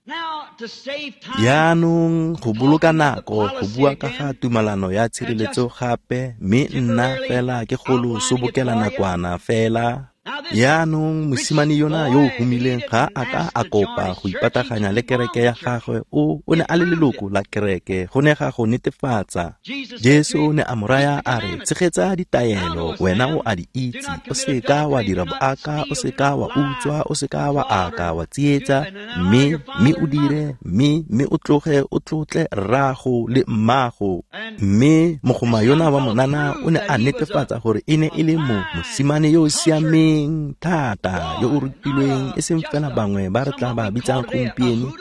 Yaanong go boloka nako go bua ka ga tumalano ya tshireletso gape, mme nna fela ke go lo sobokela nakwana fela. Yaanong mosimane yona yo o humileng ga a ka a kopa go ipataganya le kereke ya gagwe, o ne a le leloko la kereke, go ne ga go netefatsa. Jesu ne a mo raya a re, tshegetsa ditaelo, wena o a di itse, o se ka wa dira boaka, o se ka wa utswa, o se ka wa aka, wa tsietsa, mme o dire, mme o tloge o tlotle rrago le mmago. Mme mogoma yona wa monana o ne a netefatsa gore e ne e le mosimane yo o siameng thata, yo o rutilweng, e seng fela bangwe ba re tla ba bitsang gompieno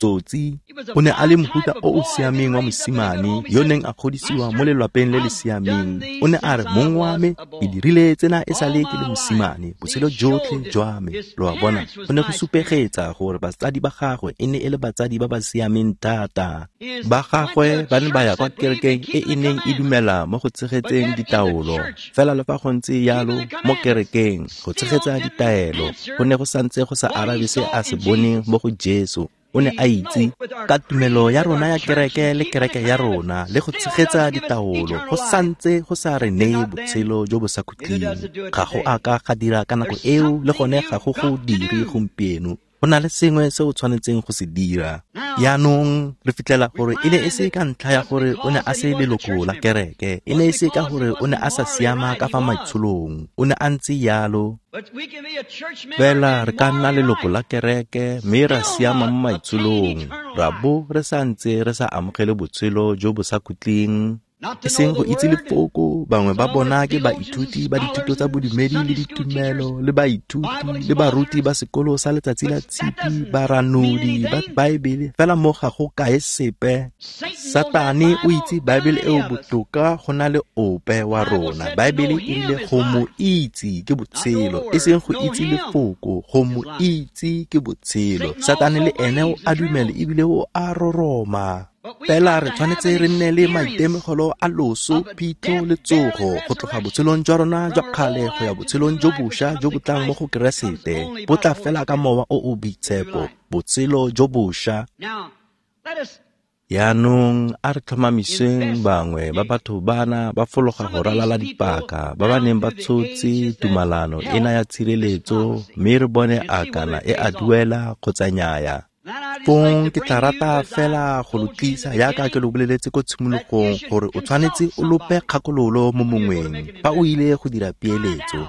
tsotsi. O ne a le mohuta o o siameng wa mosimane yo neng a godisiwa mo lelwapeng le le siameng. O ne a re, mong wa me, ke dirile tsena e sale ke le mosimane botshelo jotlhe jwa me. Lo a bona, go ne go supegetsa gore batsadi ba gagwe e ne e le batsadi ba ba siameng thata. Ba gagwe ba ne ba ya kwa kerekeng e e neng e dumela mo go tshegetseng ditaolo. Fela le fa go ntse yalo mo kerekeng go tshegetsa ditaelo go ne go santse go sa arabe se a se boneng mo go Jesu. O ne a itse ka tumelo ya rona ya kereke le kereke ya rona le go tshegetsa ditaolo go santse go sa re neye botshelo jo bo sa khutleng. Ga go a ka ga dira ka nako eo, le gone ga go go dire gompieno. Go na le sengwe se o tshwanetseng go se dira. Yaanong re fitlhela gore e ne e se ka ntlha ya gore o ne a se leloko la kereke, e ne e se ka gore o ne a sa siama ka fa maitsholong, o ne a ntse yalo. Fela re ka nna leloko la kereke mme ra siama mo maitsholong, ra bo re sa ntse re sa amogele botshelo jo bo sa khutleng. E seng go itse lefoko, bangwe ba bona ke baithuti ba dithuto tsa bodumedi le ditumelo, le baithuti le baruti ba sekolo sa letsatsi la tshipi, baranodi ba Baebele, fela mo ga go kae sepe. Satane o itse Baebele eo botoka go na le ope wa rona. Baebele e rile go mo itse ke botshelo, e seng go itse lefoko, go mo itse ke botshelo. Satane le ene o a dumela ebile o a roroma. Fela re tshwanetse re nne le maitemogelo a loso, phitlho le tsogo, go tloga botshelong jwa rona jwa kgale go ya botshelong jo bošwa jo bo tlang mo go Keresete. Bo tla fela ka Mowa o o Boitshepo, botshelo jo bošwa. Yaanong a re tlhomamiseng bangwe ba batho bana ba fologa go ralala dipaka ba ba neng ba tshotse tumalano ena ya tshireletso, mme re bone a kana e a duela kgotsa nnyaya. Fong ke tla rata fela go lo tlisa yaka ke lo boleletse ko tshimologong gore o tshwanetse o lope kgakololo mo mongweng fa o ile go dira peeletso.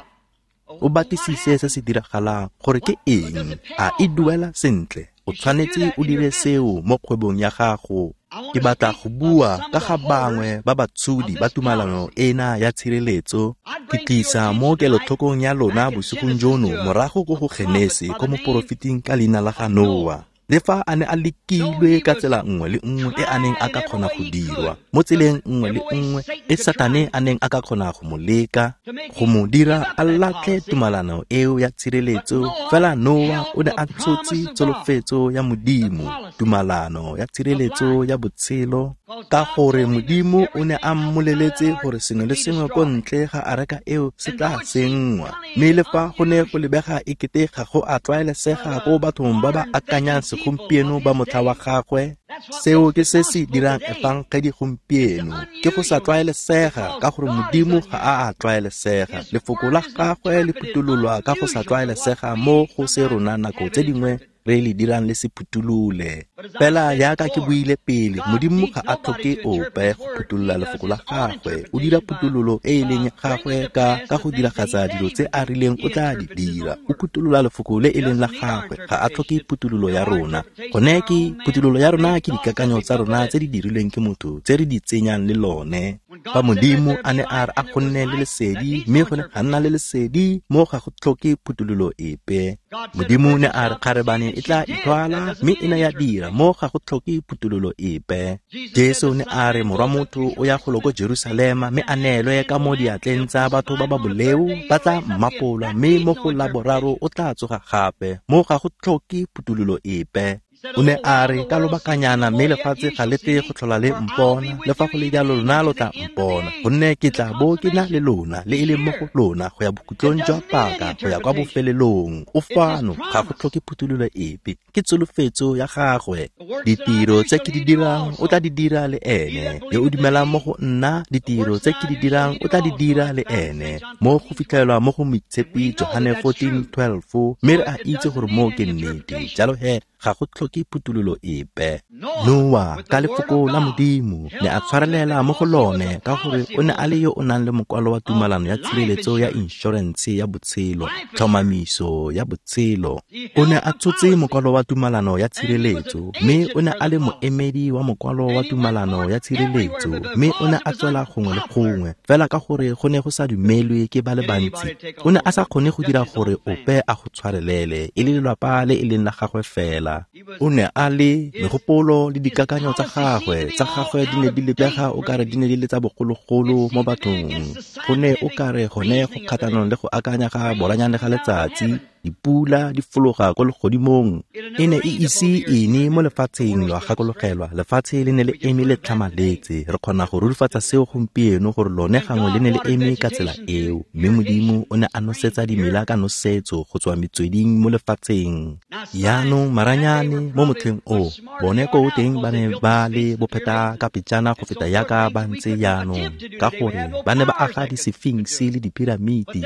O batlisise se se diragalang gore ke eng, a e duela sentle. O tshwanetse o dire seo mo kgwebong ya gago. Ke batla go bua ka ga bangwe ba batshodi ba tumalano ena ya tshireletso. Ke tlisa mo kelotlhokong ya lona bosigong jono morago ko go Genese ko moporofeting ka leina la ga Noa. Le fa a ne a lekilwe ka tsela nngwe le nngwe e a neng a ka kgona go dirwa, mo tseleng nngwe le nngwe e Satane a neng a ka kgona go mo leka, go mo dira a latlhe tumalano eo ya tshireletso, fela Noa o ne a tshotse tsholofetso ya Modimo, tumalano ya tshireletso ya botshelo, ka gore Modimo o ne a mmoleletse gore sengwe le sengwe ko ntle ga areka eo se tla senngwa. Mme le fa go ne go lebega e kete ga go a tlwaelesega ko bathong ba ba akanyang segompieno ba motlha wa gagwe, seo ke se se dirang efangedi gompieno, ke go sa tlwaelesega, ka gore Modimo ga a a tlwaelesega. Lefoko la gagwe le phutololwa ka go sa tlwaelesega mo go se rona nako tse dingwe re le dirang le se phutolole. Fela jaaka ke buile pele, Modimo ga a tlhoke ope go phutolola lefoko la gagwe. O dira phutololo e e leng ya gagwe ka go diragatsa dilo tse a rileng o tla di dira. O phutolola lefoko le e leng la gagwe, ga a tlhoke phutololo ya rona. Gone ke phutololo ya rona ke dikakanyo tsa rona tse di dirilweng ke motho tse re di tsenyang le lone. Fa Modimo a ne a re a go nne le lesedi, mme go ne ga nna le lesedi, mo ga go tlhoke phutololo epe. Modimo ne a re kgarebane e tla ithwala, mme e ne ya dira, mo ga go tlhoke phutololo epe. Jesu ne a re morwa motho o ya golo ko Jerusalema, mme a neelwe ka mo diatleng tsa batho ba ba boleo, ba tla mmapolwa, mme mo go la boraro o tla tsoga gape, mo ga go tlhoke phutololo epe. O ne a re ka lobakanyana mme lefatshe ga le tle go tlhola le mpona, le fa go le jalo lona lo tla mpona, gonne ke tla bo ke na le lona, le e leng mo go lona go ya bokhutlong jwa paka, go ya kwa bofelelong. O fano, ga go tlhoke phuthololo epe, ke tsholofetso ya gagwe. Ditiro tse ke di dirang o tla di dira le ene, yo o dumelang mo go nna, ditiro tse ke di dirang o tla di dira le ene. Mo go fitlhelwa mo go Moitshepi Johane 14:12, mme re a itse gore mo ke nnete. Jalo he ga go tlhoke phuthololo epe. Noa ka lefoko la Modimo ne a tshwarelela mo go lone, ka gore o ne a le yo o nang le mokwalo wa tumalano ya tshireletso ya inšorense ya botshelo, tlhomamiso ya botshelo. O ne a tshotse mokwalo wa tumalano ya tshireletso, mme o ne a le moemedi wa mokwalo wa tumalano ya tshireletso, mme o ne a tswela gongwe le gongwe, fela ka gore go ne go sa dumelwe ke ba le bantsi. O ne a sa kgone go dira gore ope a go tshwarelele, e le lelapa le e leng la gagwe fela. O ne a le megopolo le dikakanyo tsa gagwe, tsa gagwe di ne di lebega o kare di ne di le tsa bogologolo mo bathong. Go ne o kare gone go kgatlhanong le go akanya ga boranyane ga letsatsi, dipula di fologa ko legodimong. E ne e ise ene mo lefatsheng, lwa gakologelwa, lefatshe le ne le eme le tlhamaletse. Re kgona go rurifatsa seo gompieno gore lone gangwe le ne le eme ka tsela eo, mme Modimo o ne a nosetsa dimela ka nosetso go tswa metsweding mo lefatsheng. Yaanong maranyane mo motlheng o, bone ko teng ba ne ba le bopheta ka pejana go feta yaka ba ntse yaanong, ka gore ba ne ba aga disefinksi le dipiramiti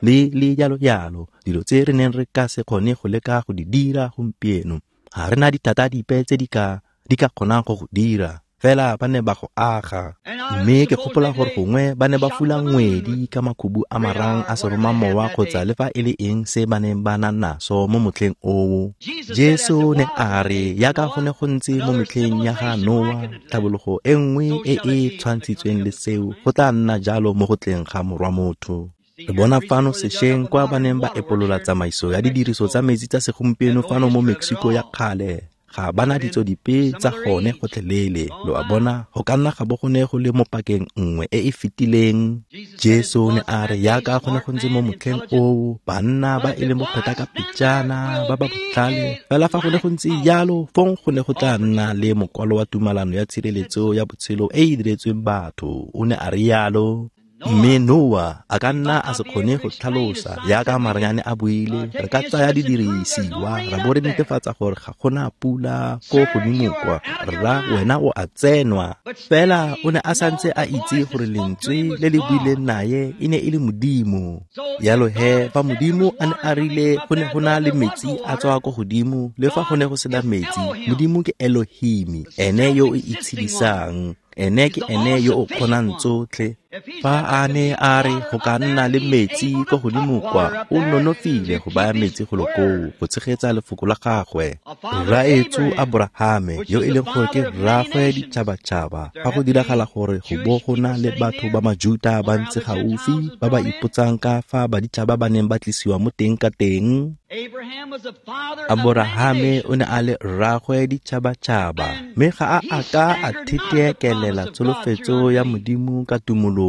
le jalo jalo, dilo tse re neng re ka se kgone go leka go di dira gompieno. Ga re na dithata dipe tse di ka kgonang go go dira. Fela ba ne ba go aga. Mme ke gopola gore gongwe ba ne ba fula ngwedi ka makhubu a marang a seromamowa kgotsa le fa e le eng se ba neng ba na naso mo motlheng oo. Jesu ne a re yaka go ne go ntse mo metlheng ya ga Noa, tlhabologo e nngwe e e tshwantshitsweng le seo go tla nna jalo mo go tleng ga Morwa Motho. Re bona fano sešweng kwa ba neng ba epolola tsamaiso ya didiriso tsa metsi tsa segompieno fano mo Mexico ya kgale. Ga bana ditso dipe tsa gone gotlhelele. Lo a bona, go ka nna ga bo go ne go le mo pakeng nngwe e e fetileng. Jesu ne a re yaka go ne go ntse mo motlheng oo, banna ba e leng bopheta ka pejana, ba ba botlhale. Fela fa go ne go ntse jalo, fong go ne go tla nna le mokwalo wa tumalano ya tshireletso ya botshelo e e diretsweng batho. O ne a re yalo. Mme Noa a ka nna a se kgone go tlhalosa yaka maranyane a buile, re ka tsaya didirisiwa ra bo re netefatsa gore ga gona pula ko godimo kwa, rra wena o a tsenwa. Fela o ne a santse a itse gore lentswe le le buileng naye e ne e le Modimo. Yalo he, fa Modimo a ne a rile go ne go na le metsi a tswa ko godimo, le fa go ne go sena metsi, Modimo ke Elohim, ene yo o itshedisang. Ene ke ene yo o kgonang tsotlhe. Fa a ne a re go ka nna le metsi ko godimo kwa, o nonofile go baya metsi golo koo go tshegetsa lefoko la gagwe. Rraetsho Aborahame, yo e leng gore ke rraagwe ditšhabatšhaba, fa go diragala gore go bo go na le batho ba Majuta ba ntse gaufi ba ba ipotsang ka fa baditšhaba ba neng ba tlisiwa mo teng ka teng. Aborahame o ne a le rraagwe ditšhabatšhaba, mme ga a a ka a theteekelela tsholofetso ya Modimo ka tumologo.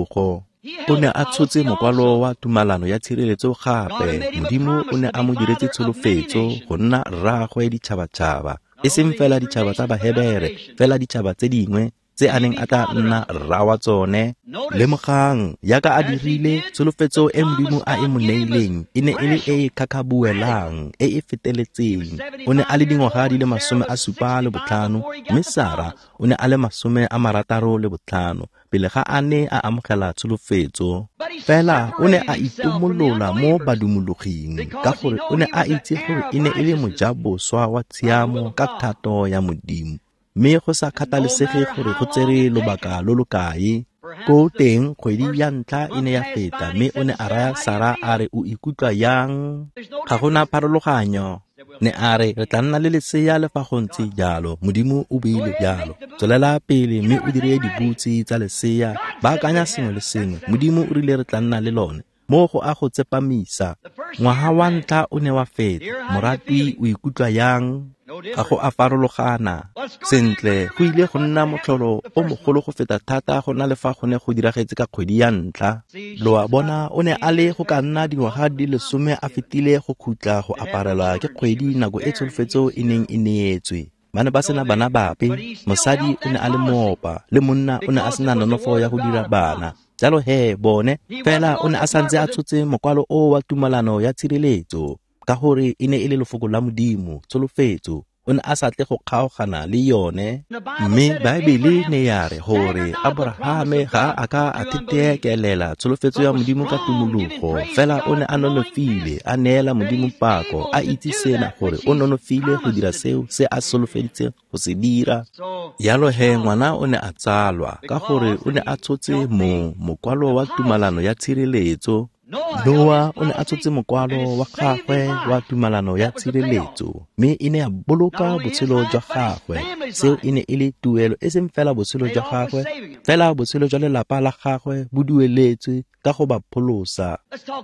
O ne a tshotse mokwalo wa tumalano ya tshireletso gape. Modimo o ne a mo diretse tsholofetso go nna rraagwe ditšhabatšhaba, e seng fela ditšhaba tsa Bahebere, fela ditšhaba tse dingwe tse a neng a tla nna rra wa tsone. Lemogang, yaka a dirile, tsholofetso e Modimo a e mo neileng e ne e le e e khakhabuelang, e e feteletseng. O ne a le dingwaga di le 75, mme Sara o ne a le 65 pele ga a ne a amogela tsholofetso. Fela o ne a itomolola mo badumologing ka gore o ne a itse gore e ne e le mojaboswa wa tshiamo ka thato ya Modimo. Mme go sa kgathalesege gore go tsere lobaka lo lo kae, ko teng kgwedi ya ntlha e ne ya feta, mme o ne a raya Sara a re o ikutlwa yang? Ga gona pharologanyo. Ne a re re tla nna le lesea le fa go ntse jalo. Modimo o buile jalo. Tswelela pele mme o dire dibutse tsa lesea, baakanya sengwe le sengwe. Modimo o rile re tla nna le lone. Mo go a go tsepamisa. Ngwaga wa ntlha o ne wa feta. Moratwi o ikutlwa yang? Ga go a farologana. Sentle, go ile go nna motlholo o mogolo go feta thata go na le fa go ne go diragetse ka kgwedi ya ntlha. Lo a bona, o ne a le go ka nna dingwaga di le 10 a fetile go khutla go aparelwa ke kgwedi nako e tsholofetso e neng e neetswe. Ba ne ba sena bana bape, mosadi o ne a le moopa, le monna o ne a sena nonofo ya go dira bana. Jalo he bone, fela o ne a santse a tshotse mokwalo o wa tumalano ya tshireletso, ka gore e ne e le lefoko la Modimo, tsholofetso. O ne a sa tle go kgaogana le yone. Mme Baebele ne ya re gore Aborahame ga a ka a theteekelela tsholofetso ya Modimo ka tumologo, fela o ne a nonofile, a neela Modimo pako, a itse sena gore o nonofile go dira seo se a solofeditseng go se dira. Yalo he ngwana o ne a tsalwa ka gore o ne a tshotse mo mokwalo wa tumalano ya tshireletso. Noa o ne a tshotse mokwalo wa gagwe wa tumalano ya tshireletso, mme e ne ya boloka botshelo jwa gagwe. Seo e ne e le tuelo, e seng fela botshelo jwa gagwe, fela botshelo jwa lelapa la gagwe bo dueletswe ka go ba pholosa.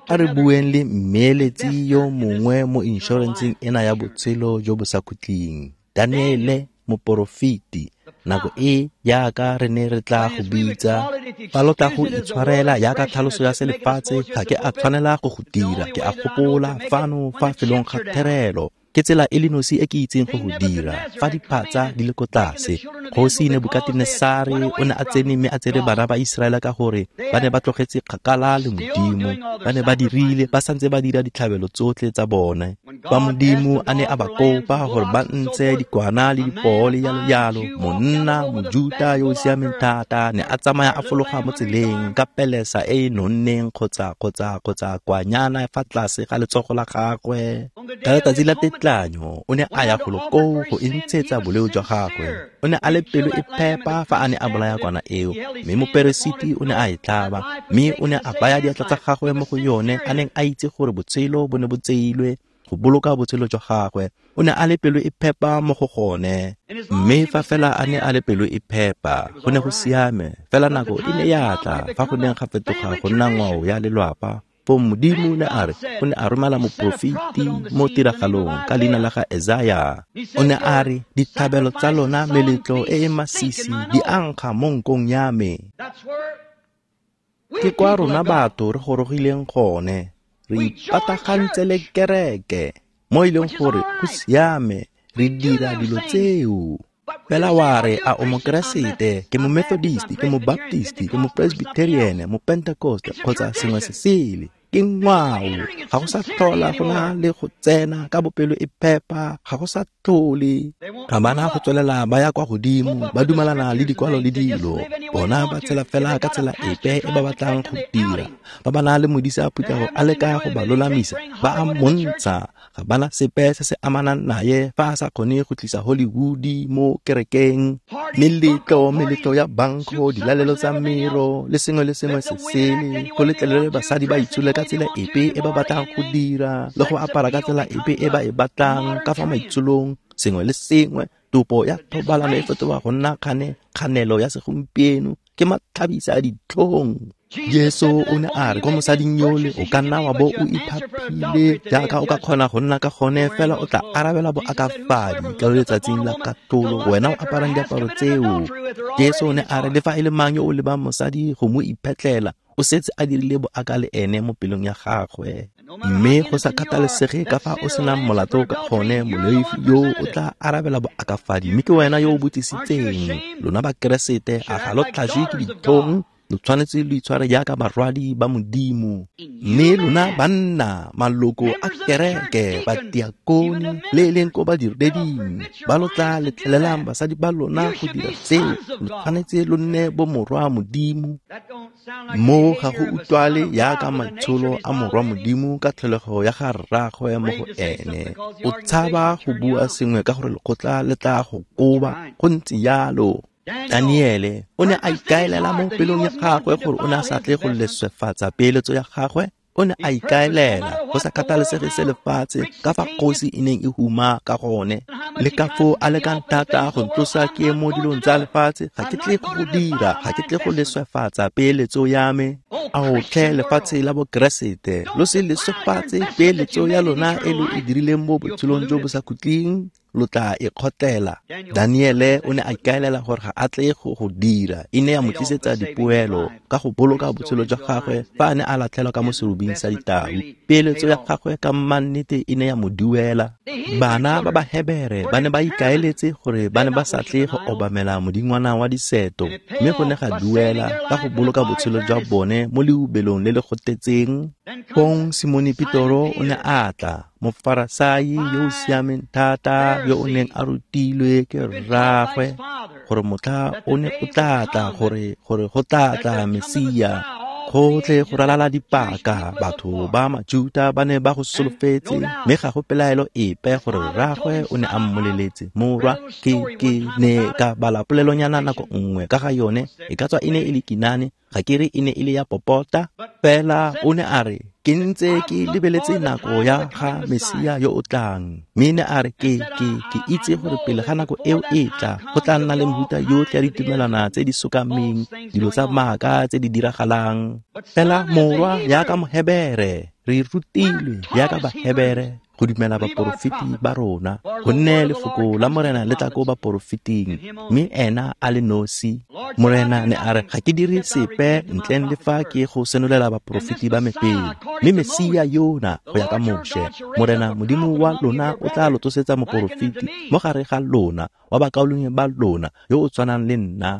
A re bueng le mmeeletsi yo mongwe mo inšorenseng ena ya botshelo jo bo sa khutleng, Daniele moporofeti. Nako e jaaka re ne re tla go bitsa, fa lo tla go itshwarela jaaka tlhaloso ya selefatshe, ga ke a tshwanela go go dira. Ke a gopola fano fa felong ga therelo, ke tsela e le nosi e ke itseng go go dira, fa diphatsa di le ko tlase. Kgosi Nebukatenesare o ne a tsene mme a tsere bana ba Iseraele ka gore ba ne ba tlogetse kgakala le Modimo. Ba ne ba dirile, ba santse ba dira ditlhabelo tsotlhe tsa bone. Fa Modimo a ne a ba kopa gore ba ntshe dikwana le dipoo le jalo jalo, monna Mojuta yo o siameng thata ne a tsamaya a fologa mo tseleng ka pelesa e e nonneng kgotsa kwanyana fa tlase ga letsogo la gagwe. Ka letsatsi la tetlanyo o ne a ya golo koo go e ntshetsa boleo jwa gagwe. O ne a le pelo e phepa fa a ne a bolaya kwana eo, mme moperesiti o ne a e tlhaba, mme o ne a baya diatla tsa gagwe mo go yone a neng a itse gore botshelo bo ne bo tseilwe go boloka botshelo jwa gagwe. O ne a le pelo e phepa mo go gone, mme fa fela a ne a le pelo e phepa go ne go siame. Fela nako e ne ya tla fa go neng ga fetoga go nna ngwao ya lelwapa. Foo Modimo ne a re o ne a romela moporofeti mo tiragalong ka leina la ga Esaya. O ne a re dithabelo tsa lona meletlo e e masisi di ankga mo nkong ya me. Ke kwa rona batho re gorogileng gone, re ipatagantse le kereke mo e leng gore go siame, re dira dilo tseo. Fela wa re a o mokeresete, ke mo Methodist, ke mo Baptist, ke mo Presbyterian, mo Pentecost kgotsa sengwe se sele. Ke ngwao, ga go sa tlhola go na le go tsena ka bopelo e phepa, ga go sa tlhole. Ga bana go tswelela ba ya kwa godimo, ba dumalana le dikwalo le dilo. Bona ba tshela fela ka tsela epe e ba batlang go dira. Ba ba na le modisa phuthego a leka go ba lolamisa, ba a montsha. Ga bana sepe se se amanang naye fa a sa kgone go tlisa Hollywood mo kerekeng. Meletlo ya banko, dilalelo tsa mero le sengwe le sengwe se sele, go letlelele basadi ba itshole ka tsela epe e ba batlang go dira le go apara ka tsela epe e ba e batlang ka fa maitsholong, sengwe le sengwe. Topo ya thobalano e fetoga go nna kganelo ya segompieno, ke matlhabisa a ditlhong. Jesu o ne a re ko mosading yole o ka nna wa bo o iphaphile jaaka o ka kgona go nna ka gone, fela o tla arabela boakafadi ka letsatsing la katlholo, wena o aparang diaparo tseo. Jesu o ne a re le fa e le mang yo o lebang mosadi go mo iphetlela, o setse a dirile boaka le ene mo pelong ya gagwe. Mme go sa kgathalesege ka fa o senang molato ka gone, moleofi yo o tla arabela boakafadi, mme ke wena yo o botsisitseng. Lona Bakeresete, a ga lo tlhajwe ke ditlhong? Lo tshwanetse lo itshware jaaka barwadi ba Modimo. Mme lona banna, maloko a kereke, batiakone le e leng ko badireding, ba lo tla letlelelang basadi ba lona go dira seo, lo tshwanetse lo nne bomorwa Modimo. Mo ga go utlwale jaaka maitsholo a morwa Modimo ka tlholego ya ga rraagwe mo go ene. O tshaba go bua sengwe ka gore lekgotla le tla go koba, go ntse jalo. Daniele o ne a ikaelela mo pelong ya gagwe gore o ne a sa tle go leswefatsa peeletso ya gagwe. O ne a ikaelela go sa kgathalesege se lefatshe ka fa kgosi e neng e huma ka gone, le ka foo a lekang thata go ntlosa ke mo dilong tsa lefatshe, ga ke tle go dira, ga ke tle go leswefatsa peeletso ya me. Ao tlhe lefatshe la Bokeresete, lo se leswefatse peeletso ya lona e lo e dirileng mo botshelong jo bo sa khutleng, lo tla e kgotlela. Daniele o ne a ikaelela gore ga a tle go dira, e ne ya mo tlisetsa dipoelo ka go boloka botshelo jwa gagwe fa a ne a latlhelwa ka mo serubing sa ditau. Peeletso ya gagwe ka mmannete e ne ya mo duela. Bana ba Bahebere ba ne ba ikaeletse gore ba ne ba sa tle go obamela modingwana wa diseto, mme go ne ga duela ka go boloka botshelo jwa bone mo leubelong le le gotetseng. Fong Simone Petoro o ne a tla, mofarasai yo o siameng thata yo o neng a rutilwe ke rraagwe gore motlha o ne o tla tla, gore go tla tla Mesia. Gotlhe go ralala dipaka, batho ba Majuta ba ne ba go solofetse, mme ga go pelaelo epe gore rraagwe o ne a mmoleletse. Morwa, ke ne ka bala polelonyana nako nngwe ka ga yone, e ka tswa e ne e le kinane, ga ke re e ne e le ya popota, fela o ne a re ke ntse ke lebeletse nako ya ga Mesia yo o tlang. Mme ne a re ke itse gore pele ga nako eo e tla, go tla nna le mehuta yotlhe ya ditumelwana tse di sokameng, dilo tsa maaka tse di diragalang. Fela morwa jaaka Mohebere, re rutilwe jaaka Bahebere go dumela baporofeti ba rona, gonne lefoko la Morena le tla ko baporofeting, mme ena a le nosi. Morena ne a re ga ke dire sepe ntleng le fa ke go senolela baporofeti ba me pele, mme Mesia yona go ya ka Moshe, Morena Modimo wa lona o tla lo tsosetsa moporofeti mo gare ga lona wa bakaulengwe ba lona yo o tshwanang le nna.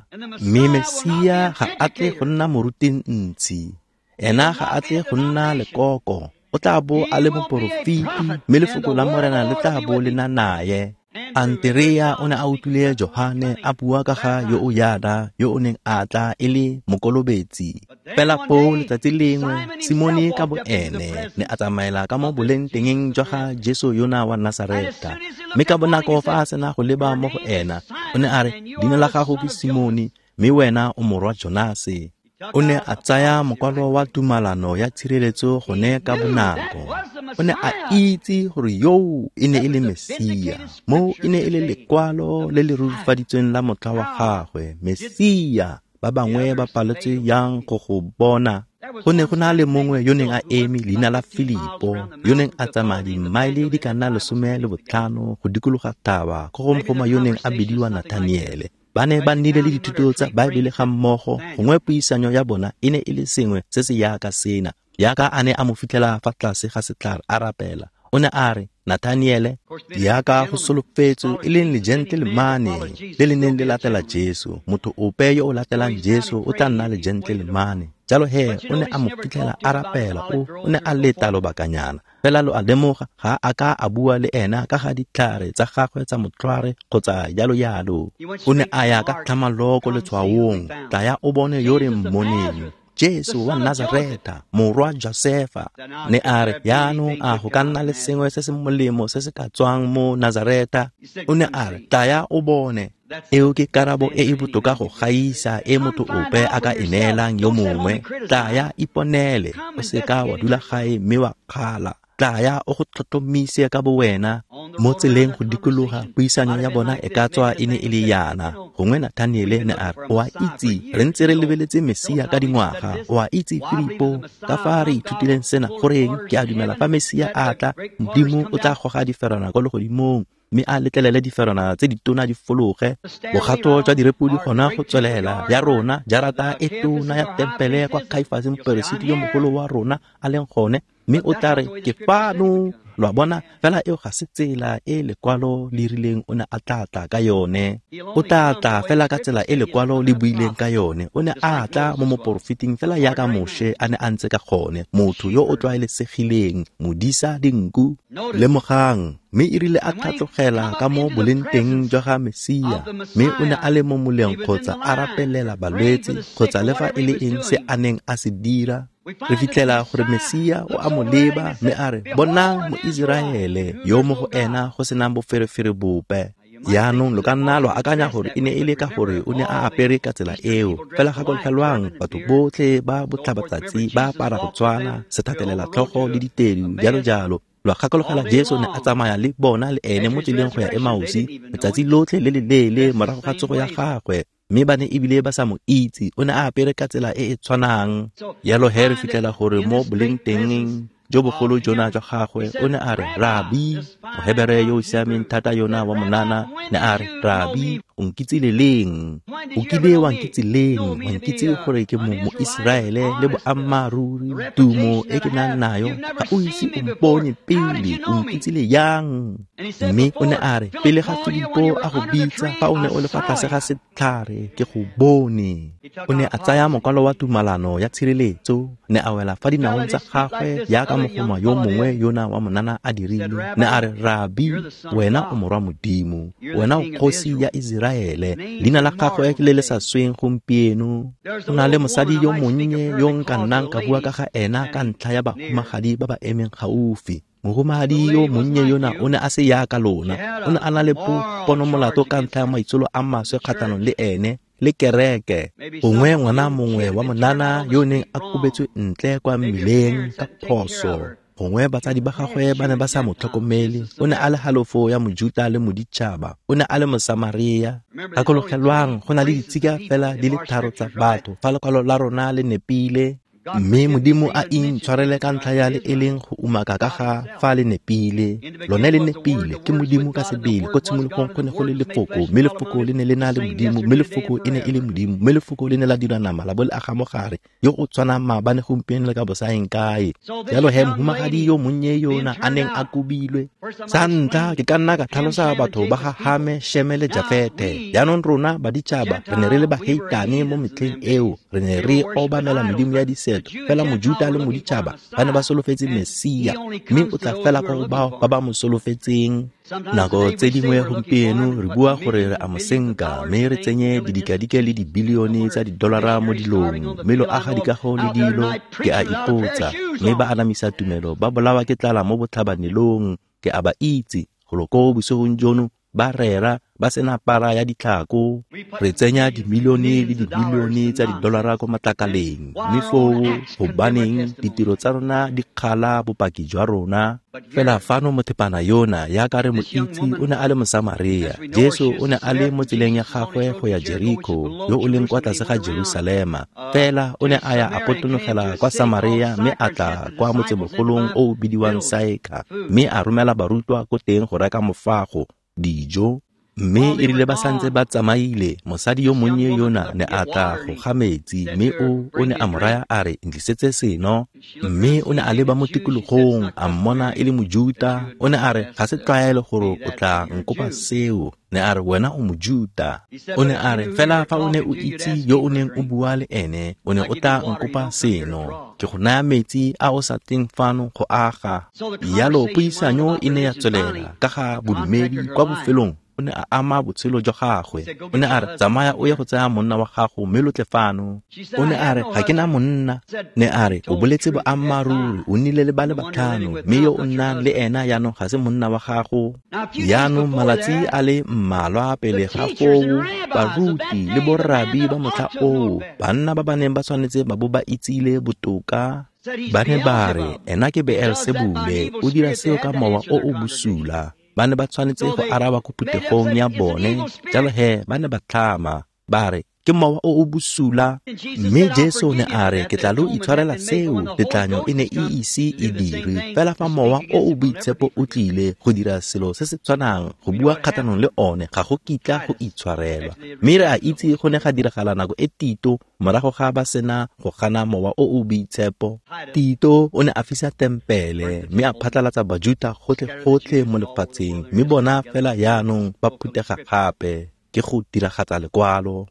Mme Mesia ga a tle go nna moruti ntsi, ena ga a tle go nna lekoko, O tla bo a le moporofeti, mme lefoko la Morena le tla bo le na naye. Anterea o ne a utlwile Johane a bua ka ga yo o yana yo o neng a tla e le mokolobetsi. Fela foo letsatsi lengwe Simone ka boene ne a tsamaela ka mo bolengtengeng jwa ga Jesu yona wa Nasaretha. Mme ka bonako fa a sena go leba mo go ena, o ne a re, leina la gago ke Simone, mme wena o morwa Jonase. O ne a tsaya mokwalo wa tumalano ya tshireletso gone ka bonako. O ne a itse gore yoo e ne e le Mesia. Moo e ne e le lekwalo le le rurifaditsweng la motlha wa gagwe, Mesia. Ba bangwe ba paletswe yang go go bona. Go ne go na le mongwe yo neng a eme leina la Filipo, yo neng a tsamaya dimmaele di ka nna 15 go dikologa thaba ko go mogoma yo neng a bidiwa Nathaniele. Ba ne ba nnile le dithuto tsa Baebele ga mmogo, gongwe puisanyo ya bona e ne e le sengwe se se yaka sena. Yaka a ne a mo fitlhela fa tlase ga setlhare a rapela. O ne a re, Nathaniele, yaka go solofetswe e leng legentlelemane le le neng le latela Jesu. Motho ope yo o latelang Jesu o tla nna legentlelemane. Jalo he, o ne a mo fitlhela a rapela, o ne a leta lobakanyana. Fela lo a lemoga, ga a ka a bua le ena ka ga ditlhare tsa gagwe tsa motlhware kgotsa jalo jalo. O ne a ya ka tlhamaloko letshwaong, tlaya o bone yo re mmoneng, Jesu wa Nazaretha, morwa Josefa. Ne a re, yaanong a go ka nna le sengwe se se molemo se se ka tswang mo Nazaretha? O ne a re, tlaya o bone. Eo ke karabo e e botoka go gaisa e motho ope a ka e neelang yo mongwe. Tlaya iponele, o seka wa dula gae mme wa kgala. Tlaya o go tlhotlhomise ka bowena. Mo tseleng go dikologa, puisanyo ya bona e ka tswa e ne e le yana. Gongwe Nathaniele ne a re, o a itse, re ntse re lebeletse Mesia ka dingwaga. O a itse, Filipo, ka fa re ithutileng sena, goreng ke a dumela fa Mesia a tla, Modimo o tla goga diferwana kwa legodimong, mme a letlelele diferwana tse ditona di fologe. Bogato jwa direpodi gona go tswelela ya rona, jarata e tona ya tempele kwa Kaifase moperesiti yo mogolo wa rona a leng gone, mme o tla re, ke fano. Lo a bona, fela eo ga se tsela e lekwalo le rileng o ne a tla tla ka yone. O tla tla fela ka tsela e lekwalo le buileng ka yone. O ne a tla mo moporofeting fela yaka Moshe a ne a ntse ka gone, motho yo o tlwaelesegileng, modisa dinku. Lemogang, mme e rile a tlhatlogela ka mo bolengteng jwa ga Mesia, mme o ne a le mo moleng kgotsa a rapelela balwetse kgotsa le fa e le eng se a neng a se dira. Re fitlhela gore Mesia o a mo leba mme a re, bonang Moiseraele yo mo go ena go senang boferefere bope. Yaanong lo ka nna lo akanya gore e ne e le ka gore o ne a apere ka tsela eo. Fela gakologelwang, batho botlhe ba botlhabatsatsi ba apara go tshwana, sethatelela tlhogo le ditedu, jalo jalo. Lo gakologela Jesu ne a tsamaya le bona le ene mo tseleng go ya Emausi letsatsi lotlhe le le leele morago ga tsogo ya gagwe, mme ba ne ebile ba sa mo itse. O ne a apere ka tsela e e tshwanang. Jalo he re fitlhela gore mo bolengtengeng jo bogolo jona jwa gagwe, o ne a re, Rabi, Mohebere yo o siameng thata yona wa monana, ne a re, Rabi, o nkitsile leng? O kile wa nkitse leng? Wa nkitse gore ke Moiseraele le boammaaruri, tumo e ke nang nayo, ga o ise o mpone pele, o nkitsile yang? Mme o ne a re, pele ga Filipo a go bitsa, fa o ne o le fa tlase ga setlhare, ke go bone. O ne a tsaya mokwalo wa tumalano ya tshireletso, ne a wela fa dinaong tsa gagwe yaka mogoma yo mongwe yona wa monana a dirile. Ne a re, Rabi, wena o morwa Modimo, wena o kgosi ya Iseraele. Leina la gagwe ke le le sa sweng gompieno. Go na le mosadi yo monnye yo nka nnang ka bua ka ga ena ka ntlha ya bahumagadi ba ba emeng gaufi. Mohumagadi yo monnye yona o ne a se yaka lona. O ne a na le ponomolato ka ntlha ya maitsholo a maswe kgatlhanong le ene le kereke. Gongwe ngwana mongwe wa monana yo neng a kobetswe ntle kwa mmileng ka phoso. Gongwe batsadi ba gagwe ba ne ba sa mo tlhokomele. O ne a le halofo ya Mojuta le moditšhaba. O ne a le Mosamaria. Gakologelwang, go na le ditsika fela di le tharo tsa batho fa lekwalo la rona le nepile. Mme Modimo a intshwarele ka ntlha ya le e leng go umaka ka ga fa le nepile. Lone le nepile, ke Modimo ka sebele. Ko tshimologong go ne go le lefoko, mme lefoko le ne le na le Modimo, mme lefoko e ne e le Modimo, mme lefoko le ne la dira nama la bo le aga mogare, yo o tshwanang maabane gompieno le ka bosaeng kae. Jalo he mohumagadi yo monnye yona a neng a kobilwe. Sa ntlha ke ka nna ka tlhalosa batho ba ga Hame, Sheme le Jafete. Jaanong rona baditšhaba re ne re le baheitane mo metlheng eo, re ne re obamela medimo ya diseto Keresete, fela Mojuta le Moditšhaba ba ne ba solofetse Mesia, mme o tla fela kwa go bao ba ba mo solofetseng. Nako tse dingwe gompieno re bua gore re a mo senka, mme re tsenye didikadike le dibilione tsa didolara mo dilong, mme lo aga dikago le dilo, ke a ipotsa, mme ba anamisa tumelo ba bolawa ke tlala mo botlhabanelong, ke a ba itse, golo ko bosigong jono ba rera ba sena para ya ditlhako. Re tsenya dimilione le dibilione tsa didolara ko matlakaleng, mme foo gobaneng ditiro tsa rona di kgala bopaki jwa rona. Fela fano mothepana yona yaka re mo itse o ne a le Mosamaria. Jesu o ne a le mo tseleng ya gagwe go ya Jeriko, yo o leng kwa tlase ga Jerusalema. Fela o ne a ya a potonogela kwa Samaria, mme a tla kwa motsemogolong o o bidiwang Saeka, mme a romela barutwa ko teng go reka mofago, dijo. Mme e rile ba santse ba tsamaile, mosadi yo monnye yona ne a tla go ga metsi, mme o ne a mo raya a re, ntlisetse seno. Mme o ne a leba mo tikologong, a mmona e le Mojuta. O ne a re, ga se tlwaelo gore o tla nkopa seo. Ne a re, wena o Mojuta. O ne a re, fela fa o ne o itse yo o neng o bua le ene, o ne o tla nkopa seno. Ke go naya metsi a o sa tleng fano go aga. Jalo puisanyo e ne ya tswelela ka ga bodumedi kwa bofelong. O ne a ama botshelo jwa gagwe. O ne a re, tsamaya o ye go tsaya monna wa gago mme lo tle fano. O ne a re, ga ke na monna. Ne a re, o boletse boammaaruri, o nnile le ba le batlhano, mme yo o nnang le ena jaanong ga se monna wa gago. Jaanong malatsi a le mmalwa pele ga foo, baruti le borrabi ba motlha oo, banna ba ba neng ba tshwanetse ba bo ba itsile botoka, ba ne ba re, ena ke Beelsebule, o dira seo ka mowa o o bosula. Ba ne ba tshwanetse go araba ko phuthegong ya bone, jalo he ba ne ba tlhama, ba re, ke mowa o o bosula. Mme Jesu ne a re, ke tla lo itshwarela seo, tetlanyo e ne e ise e dirwe. Fela fa mowa o o boitshepo o tlile go dira selo se se tshwanang, go bua kgatlhanong le one, ga go kitla go itshwarelwa. Mme re a itse go ne ga diragala nako e Tito, morago ga ba sena go gana mowa o o boitshepo. Tito o ne a fisa tempele, mme a phatlalatsa Bajuta gotlhe-gotlhe mo lefatsheng, mme bona fela jaanong ba phuthega gape, ke go diragatsa lekwalo.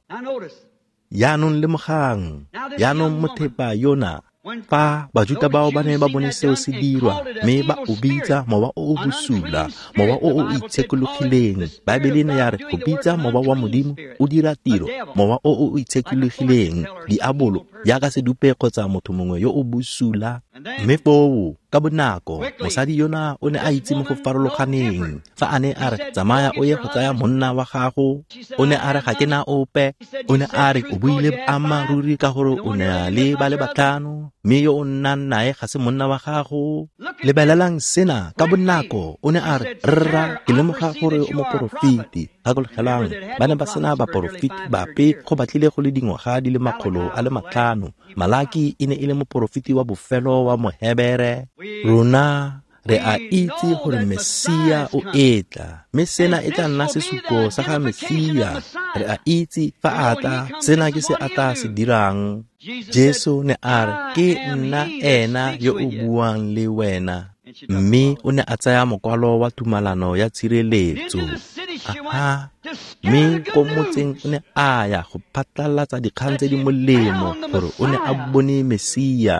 Jaanong lemogang, jaanong mothepa yona, fa Bajuta bao ba ne ba bone seo se dirwa, mme ba o bitsa mowa o o bosula, mowa o o itshekologileng. Baebele ne ya re go bitsa mowa wa Modimo o dira tiro, mowa o o itshekologileng, diabolo, jaaka sedupe kgotsa motho mongwe yo o bosula. Mme foo ka bonako mosadi yona o ne a itse mo go farologaneng. Fa a ne a re, tsamaya o ye go tsaya monna wa gago, o ne a re, ga ke na ope. O ne a re, o buile boammaaruri ka gore o ne a le ba le batlhano, mme yo o nnang nae ga se monna wa gago. Lebelelang sena ka bonako. O ne a re, rra, ke lemoga gore o moporofeti. Gakologelang, ba ne ba sena baporofeti bape go batlile go le dingwaga di le 500. Malaki e ne e le moporofeti wa bofelo wa Mohebere. Rona re a itse gore Mesia o etla, mme sena e tla nna sesupo sa ga Mesia. Re a itse fa a tla, sena ke se a tla se dirang. Jesu ne a re, ke nna ena yo o buang le wena. Mme o ne a tsaya mokwalo wa tumalano ya tshireletso. Aha, mme ko motseng o ne a ya go phatlalatsa dikgang tse di molemo gore o ne a bone Mesia.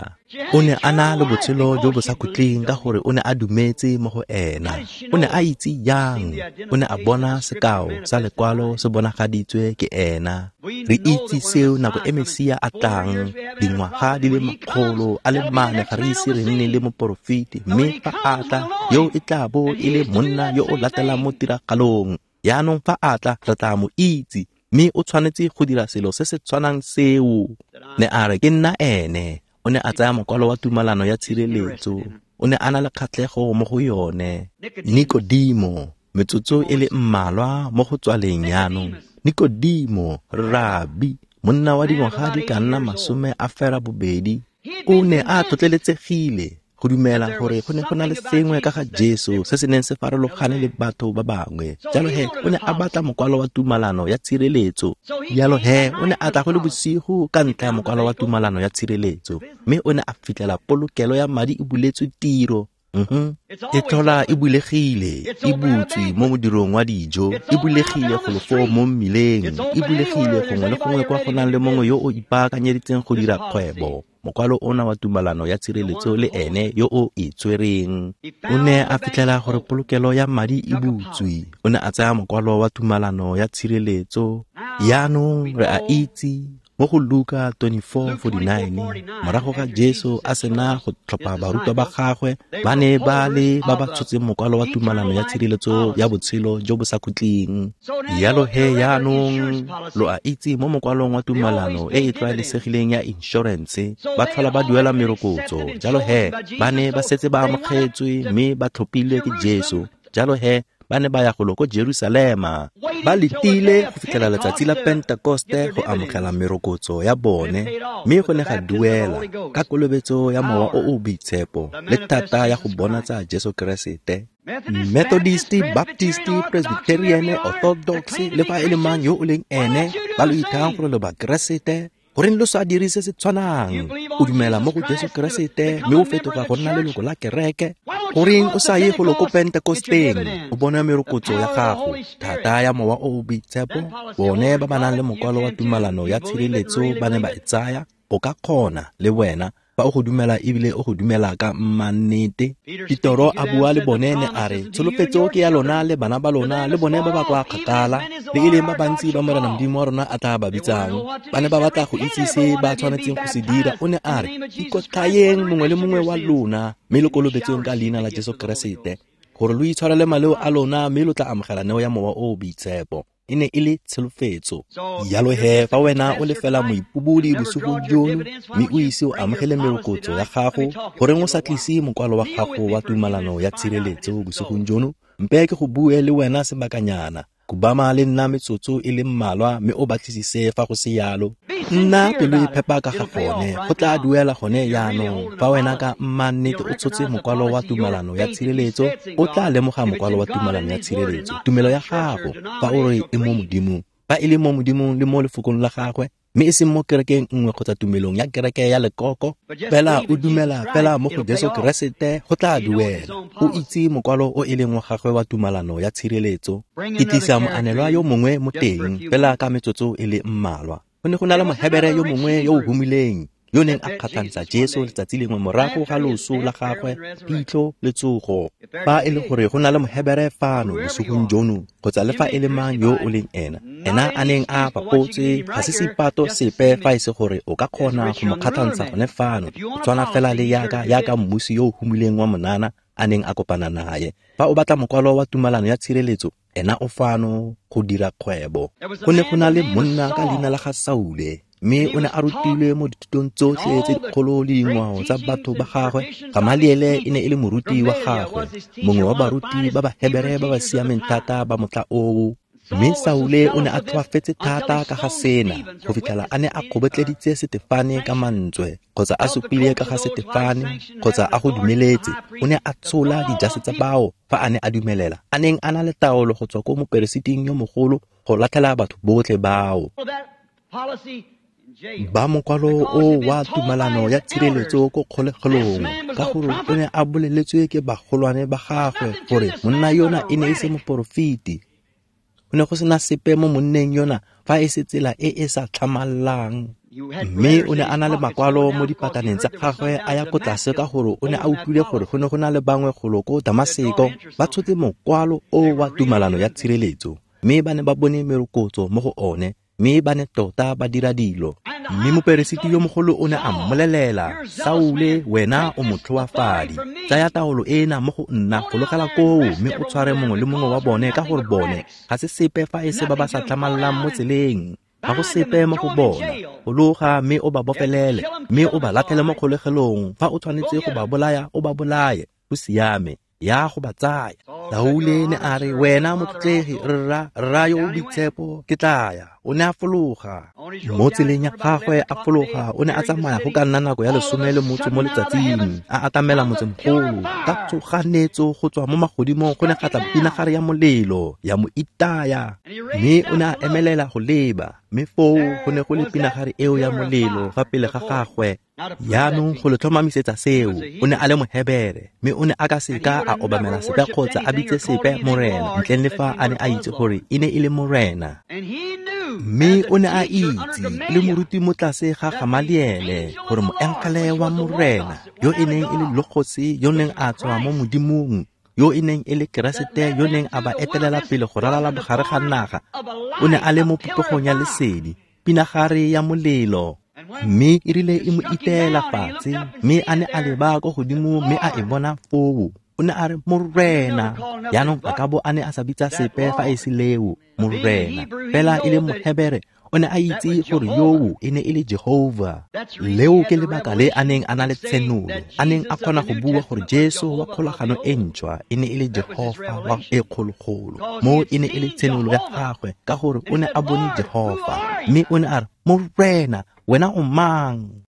O ne a na le botshelo jo bo sa khutleng ka gore o ne a dumetse mo go ena. O ne a itse jang? O ne a bona sekao sa lekwalo se bonagaditswe ke ena. Re itse seo nako e Mesia a tlang, dingwaga di le 400 ga re ise re nne le moporofeti, mme fa a tla, yo e tla bo e le monna yo o latelang mo tiragalong. Jaanong fa a tla, re tla mo itse, mme o tshwanetse go dira selo se se tshwanang seo. Ne a re, ke nna ene. O ne a tsaya mokwalo wa tumalano ya tshireletso. O ne a na le kgatlhego mo go yone. Nikodimo, metsotso e le mmalwa mo go tswaleng jaanong. Nikodimo, rabi, monna wa dingwaga di ka nna 28, o ne a tlhotlheletsegile go dumela gore go ne go na le sengwe ka ga Jesu se se neng se farologane le batho ba bangwe. Jalo he, o ne a batla mokwalo wa tumalano ya tshireletso. Jalo he, o ne a tla go le bosigo ka ntlha ya mokwalo wa tumalano ya tshireletso, mme o ne a fitlhela polokelo ya madi e buletswe tiro. E tlhola e bulegile, e butswe mo modirong wa dijo, e bulegile golo foo mo mmileng, e bulegile gongwe le gongwe kwa go nang le mongwe yo o ipaakanyeditseng go dira kgwebo. Mokwalo ona wa tumalano ya tshireletso le ene yo o e tshwereng. O ne a fitlhela gore polokelo ya madi e butswe. O ne a tsaya mokwalo wa tumalano ya tshireletso. Jaanong re a itse mo go Luka 24:49, morago ga Jesu a sena go tlhopha barutwa ba gagwe, ba ne ba le ba ba tshotseng mokwalo wa tumalano ya tshireletso ya botshelo jo bo sa khutleng. Jalo he jaanong lo a itse mo mokwalong wa tumalano e e tlwaelesegileng ya inšorense, ba tlhola ba duela merokotso. Jalo he ba ne ba setse ba amogetswe mme ba tlhophilwe ke Jesu. Jalo he ba ne ba ya golo ko Jerusalema, ba letile go fitlhela letsatsi la Pentekoste go amogela merokotso ya bone, mme go ne ga duela ka kolobetso ya Mowa o o Boitshepo le thata ya go bonatsa Jesu Keresete. Methodist, Baptist, Presbyterian, Orthodox, le fa e le mang yo o leng ene, ba lo ithang gore lo Bakeresete, goreng lo sa dire se se tshwanang? O dumela mo go Jesu Keresete mme o fetoga go nna leloko la kereke? Goreng o sa ye golo ko Pentekosteng o bone merokotso ya gago, thata ya Mowa o o Boitshepo? Bone ba ba nang le mokwalo wa tumalano ya tshireletso ba ne ba e tsaya. O ka kgona le wena fa o go dumela ebile o go dumela ka mmannete. Petoro a bua le bone ne a re, tsholofetso ke ya lona le bana ba lona le bone ba ba kwa kgakala, le e leng ba bantsi ba Morena Modimo wa rona a tla ba bitsang. Ba ne ba batla go itse se ba tshwanetseng go se dira. O ne a re, ikotlhayeng mongwe le mongwe wa lona mme lo kolobetsweng ka leina la Jesu Keresete, gore lo itshwarele maleo a lona mme lo tla amogela neo ya Mowa o o Boitshepo. E ne e le tsholofetso. Jalo he fa wena o le fela moipobodi bosigong jono mme o ise o amogele merokotso ya gago, goreng o sa tlise mokwalo wa gago wa tumalano ya tshireletso bosigong jono? Mpe ke go bue le wena sebakanyana. Khubama le nna metsotso e le mmalwa mme o batlisise fa go se yalo. Nna pelo e phepa ka ga gone, go tla duela gone jaanong. Fa wena ka mmannete o tshotse mokwalo wa tumalano ya tshireletso, o tla lemoga mokwalo wa tumalano ya tshireletso. Tumelo ya gago, fa o re e mo Modimong, fa e le mo Modimong le mo lefokong la gagwe, mme e seng mo kerekeng nngwe kgotsa tumelong ya kereke ya lekoko, fela o dumela fela mo go Jesu Keresete, go tla duela. O itse mokwalo o e leng wa gagwe wa tumalano ya tshireletso. Ke tlisa moanelwa yo mongwe mo teng, fela ka metsotso e le mmalwa. Go ne go na le Mohebere yo mongwe yo o humileng, yo neng a kgatlhantsha Jesu letsatsi lengwe morago ga loso la gagwe, phitlho le tsogo. Fa e le gore go na le Mohebere fano bosigong jono, kgotsa le fa e le mang yo o leng ena, ena a neng a bapotse, ga se seipato sepe fa e se gore o ka kgona go mo kgatlhantsha gone fano, go tshwana fela le yaka mmusi yo o humileng wa monana a neng a kopana naye. Fa o batla mokwalo wa tumalano ya tshireletso, ena o fano go dira kgwebo. Go ne go na le monna ka leina la ga Saule, mme o ne a rutilwe mo dithutong tsotlhe tse dikgolo le dingwao tsa batho ba gagwe. Gamaliele e ne e le moruti wa gagwe, mongwe wa baruti ba Bahebere ba ba siameng thata ba motlha oo. Mme Saule o ne a tlhoafetse thata ka ga sena, go fitlhela a ne a kgobotleditse Setefane ka mantswe, kgotsa a supile ka ga Setefane, kgotsa a go dumeletse. O ne a tshola dijase tsa bao fa a ne a dumelela, a neng a na le taolo go tswa ko moperesiting yo mogolo go latlhela batho botlhe bao. Ba mokwalo o wa tumalano ya tshireletso ko kgolegelong, ka gore o ne a boleletswe ke bagolwane ba gagwe gore monna yona e ne e se moporofeti. Go ne go sena sepe mo monneng yona fa e se tsela e e sa tlhamallang. Mme o ne a na le makwalo mo dipataneng tsa gagwe a ya ko tlase, ka gore o ne a utlwile gore go ne go na le bangwe golo ko Damaseko ba tshotse mokwalo o wa tumalano ya tshireletso, mme ba ne ba bone merokotso mo go one, mme ba ne tota ba dira dilo. Mme moperesiti yo mogolo o ne a mmolelela, Saule, wena o motlhoafadi, tsaya taolo ena mo go nna, fologela koo mme o tshware mongwe le mongwe wa bone, ka gore bone ga se sepe fa e se ba ba sa tlhamallang mo tseleng. Ga go sepe mo go bona. Fologa mme o ba bofelele, mme o ba latlhele mo kgolegelong. Fa o tshwanetse go ba bolaya, o ba bolaye. Go siame, ya go ba tsaya. Saule ne a re, wena motlotlegi, rra yo o boitshepo, ke tla ya. O ne a fologa mo tseleng ya gagwe, a fologa. O ne a tsamaya go ka nna nako ya 18 mo letsatsing, a atamela motsemogolo. Ka tshoganyetso go tswa mo magodimong go ne ga tla pinagare ya molelo, ya mo itaya, mme o ne a emelela go leba. Mme foo go ne go le pinagare eo ya molelo fa pele ga gagwe. Jaanong go le tlhomamisetsa seo, o ne a le Mohebere, mme o ne a ka seka a obamela sepe kgotsa a bitse sepe Morena ntleng le fa a ne a itse gore e ne e le Morena. Mme o ne a itse, le moruti mo tlase ga Gamaliele, gore moengele wa Morena, yo e neng e le Logose yo neng a tswa mo Modimong, yo e neng e le Keresete yo neng a ba etelela pele go ralala bogare ga naga, o ne a le mo popegong ya lesedi, pinagare ya molelo. Mme e rile e mo iteela fatshe, mme a ne a leba ko godimo mme a e bona foo. O ne a re, Morena. Jaanong a ka bo a ne a sa bitsa sepe fa e se leo, Morena. Fela e le Mohebere, o ne a itse gore yoo e ne e le Jehova. Leo ke lebaka le a neng a na le tshenolo, a neng a kgona go bua gore Jesu wa kgolagano e ntšhwa e ne e le Jehova wa e kgologolo. Mo e ne e le tshenolo ya gagwe, ka gore o ne a bone Jehova. Mme o ne a re, Morena, wena o mang?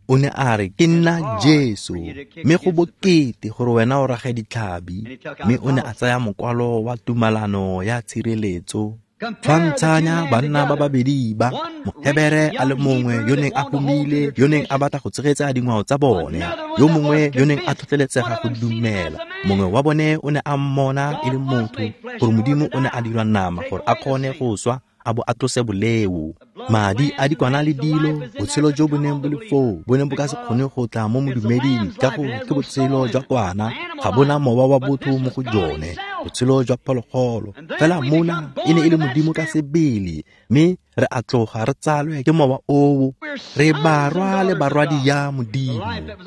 O ne a re, ke nna Jesu, mme go bokete gore wena o rage ditlhabi. Mme o ne a tsaya mokwalo wa tumalano ya tshireletso. Tshwantshanya banna ba babedi ba, Mohebere a le mongwe yo neng a humile, yo neng a batla go tshegetsa dingwao tsa bone, yo mongwe yo neng a tlhotlheletsega go dumela. Mongwe wa bone o ne a mmona e le motho, gore Modimo o ne a dirwa nama gore a kgone go swa a bo a tlose boleo. Madi a dikwana le dilo, botshelo jo bo neng bo le foo bo neng bo ka se kgone go tla mo modumeding, ka gore ke botshelo jwa kwana, ga bona mowa wa botho mo go jone, botshelo jwa phologolo. Fela mona e ne e le Modimo ka sebele, mme re a tloga re tsalwe ke mowa oo, re barwa le barwadi ya Modimo,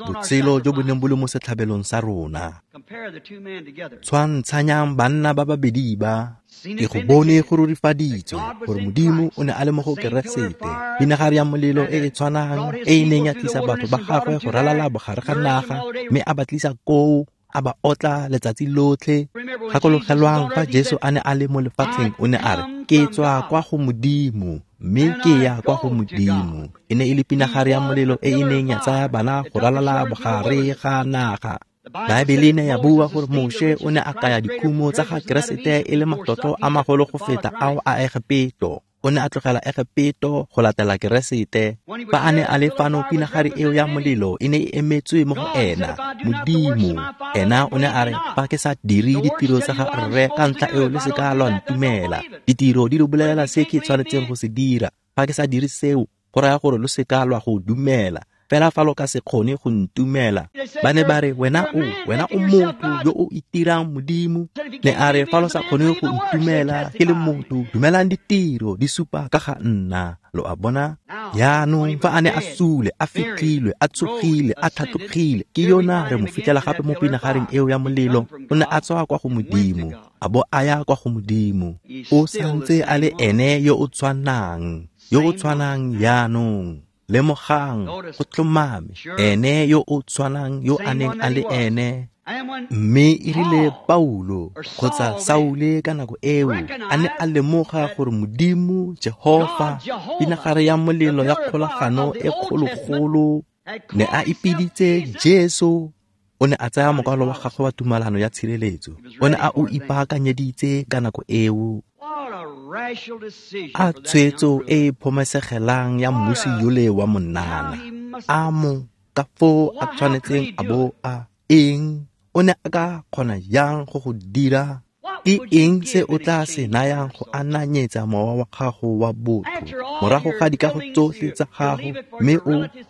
botshelo jo bo neng bo le mo setlhabelong sa rona. Tshwantshanyang banna ba babedi ba. Ke go bone go rurifaditswe gore Modimo o ne a le mo go Keresete, pinagare ya molelo e e tshwanang e e neng ya tlisa batho ba gagwe go ralala bogare ga naga, mme a ba tlisa koo, a ba otla letsatsi lotlhe. Gakologelwang fa Jesu a ne a le mo lefatsheng, o ne a re, ke tswa kwa go Modimo, mme ke ya kwa go Modimo. E ne e le pinagare ya molelo e e neng ya tsaya bana go ralala bogare ga naga. Baebele ne ya bua gore Moshe o ne a kaya dikhumo tsa ga Keresete e le matlotlo a magolo go feta ao a Egepeto. O ne a tlogela Egepeto go latela Keresete. Fa a ne a le fano, pinagare eo ya molelo e ne e emetswe mo go ena, Modimo. Ena o ne a re, fa ke sa dire ditiro tsa ga Rre, ka ntlha eo le seka lwa ntumela. Ditiro di lo bolelela se ke tshwanetseng go se dira. Fa ke sa dire seo, go raya gore lo seka lwa go dumela. Fela fa lo ka se kgone go ntumela. Ba ne ba re, wena o motho yo o itirang Modimo. Ne a re, fa lo sa kgone go ntumela ke le motho, dumelang ditiro di supa ka ga nna. Lo a bona? Jaanong fa a ne a sule, a fitlhilwe, a tsogile, a tlhatlogile, ke yona re mo fitlhela gape mo pinagareng eo ya molelo. O ne a tswa kwa go Modimo, a bo a ya kwa go Modimo. O santse a le ene yo o tshwanang, yo o tshwanang jaanong. Lemogang, go tlhomame, ene yo o tshwanang yo a neng a le ene. Mme e rile Paulo kgotsa Saule ka nako eo a ne a lemoga gore Modimo Jehova, pinagare ya molelo ya kgolagano e kgologolo, ne a ipiditse Jesu. O ne a tsaya mokwalo wa gagwe wa tumalano ya tshireletso. O ne a o ipaakanyeditse ka nako eo. A tshwetso e e phomesegelang ya mmusi yole wa monana. A mo ka foo a tshwanetseng a bo a eng? O ne a ka kgona jang go go dira? Ke eng se o tla se nayang go ananyetsa mowa wa gago wa botho morago ga dikago tsotlhe tsa gago, mme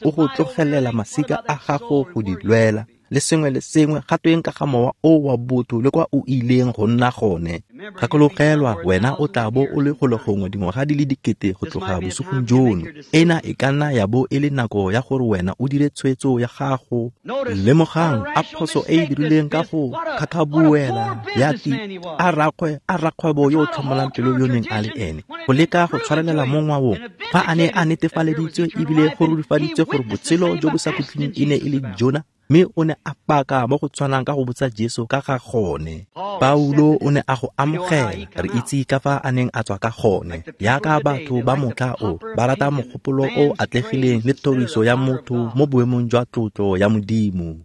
o go tlogelela masika a gago go di lwela le sengwe le sengwe? Ga tweng ka ga mowa o wa botho le kwa o ileng go nna gone? Gakologelwa, wena o tla bo o le golo gongwe dingwaga di le 1000 go tloga bosigong jono. Ena e ka nna ya bo e le nako ya gore wena o dire tshwetso ya gago. Lemogang a phoso e e dirileng ka go khakhabuela ya ti a rakgwebo yo o tlhomolang pelo yo neng a le ene, go leka go tshwarelela mo ngwaong fa a ne a netefaleditswe ebile go rurifaditswe gore botshelo jo bo sa khutleng e ne e le jona. Mme o ne a paka mo go tshwanang ka go botsa Jesu ka ga gone. Paulo o ne a go amogela, re itse ka fa a neng a tswa ka gone. Yaka batho ba motlha o ba rata mogopolo o atlegileng le thoriso ya motho mo boemong jwa tlotlo ya Modimo.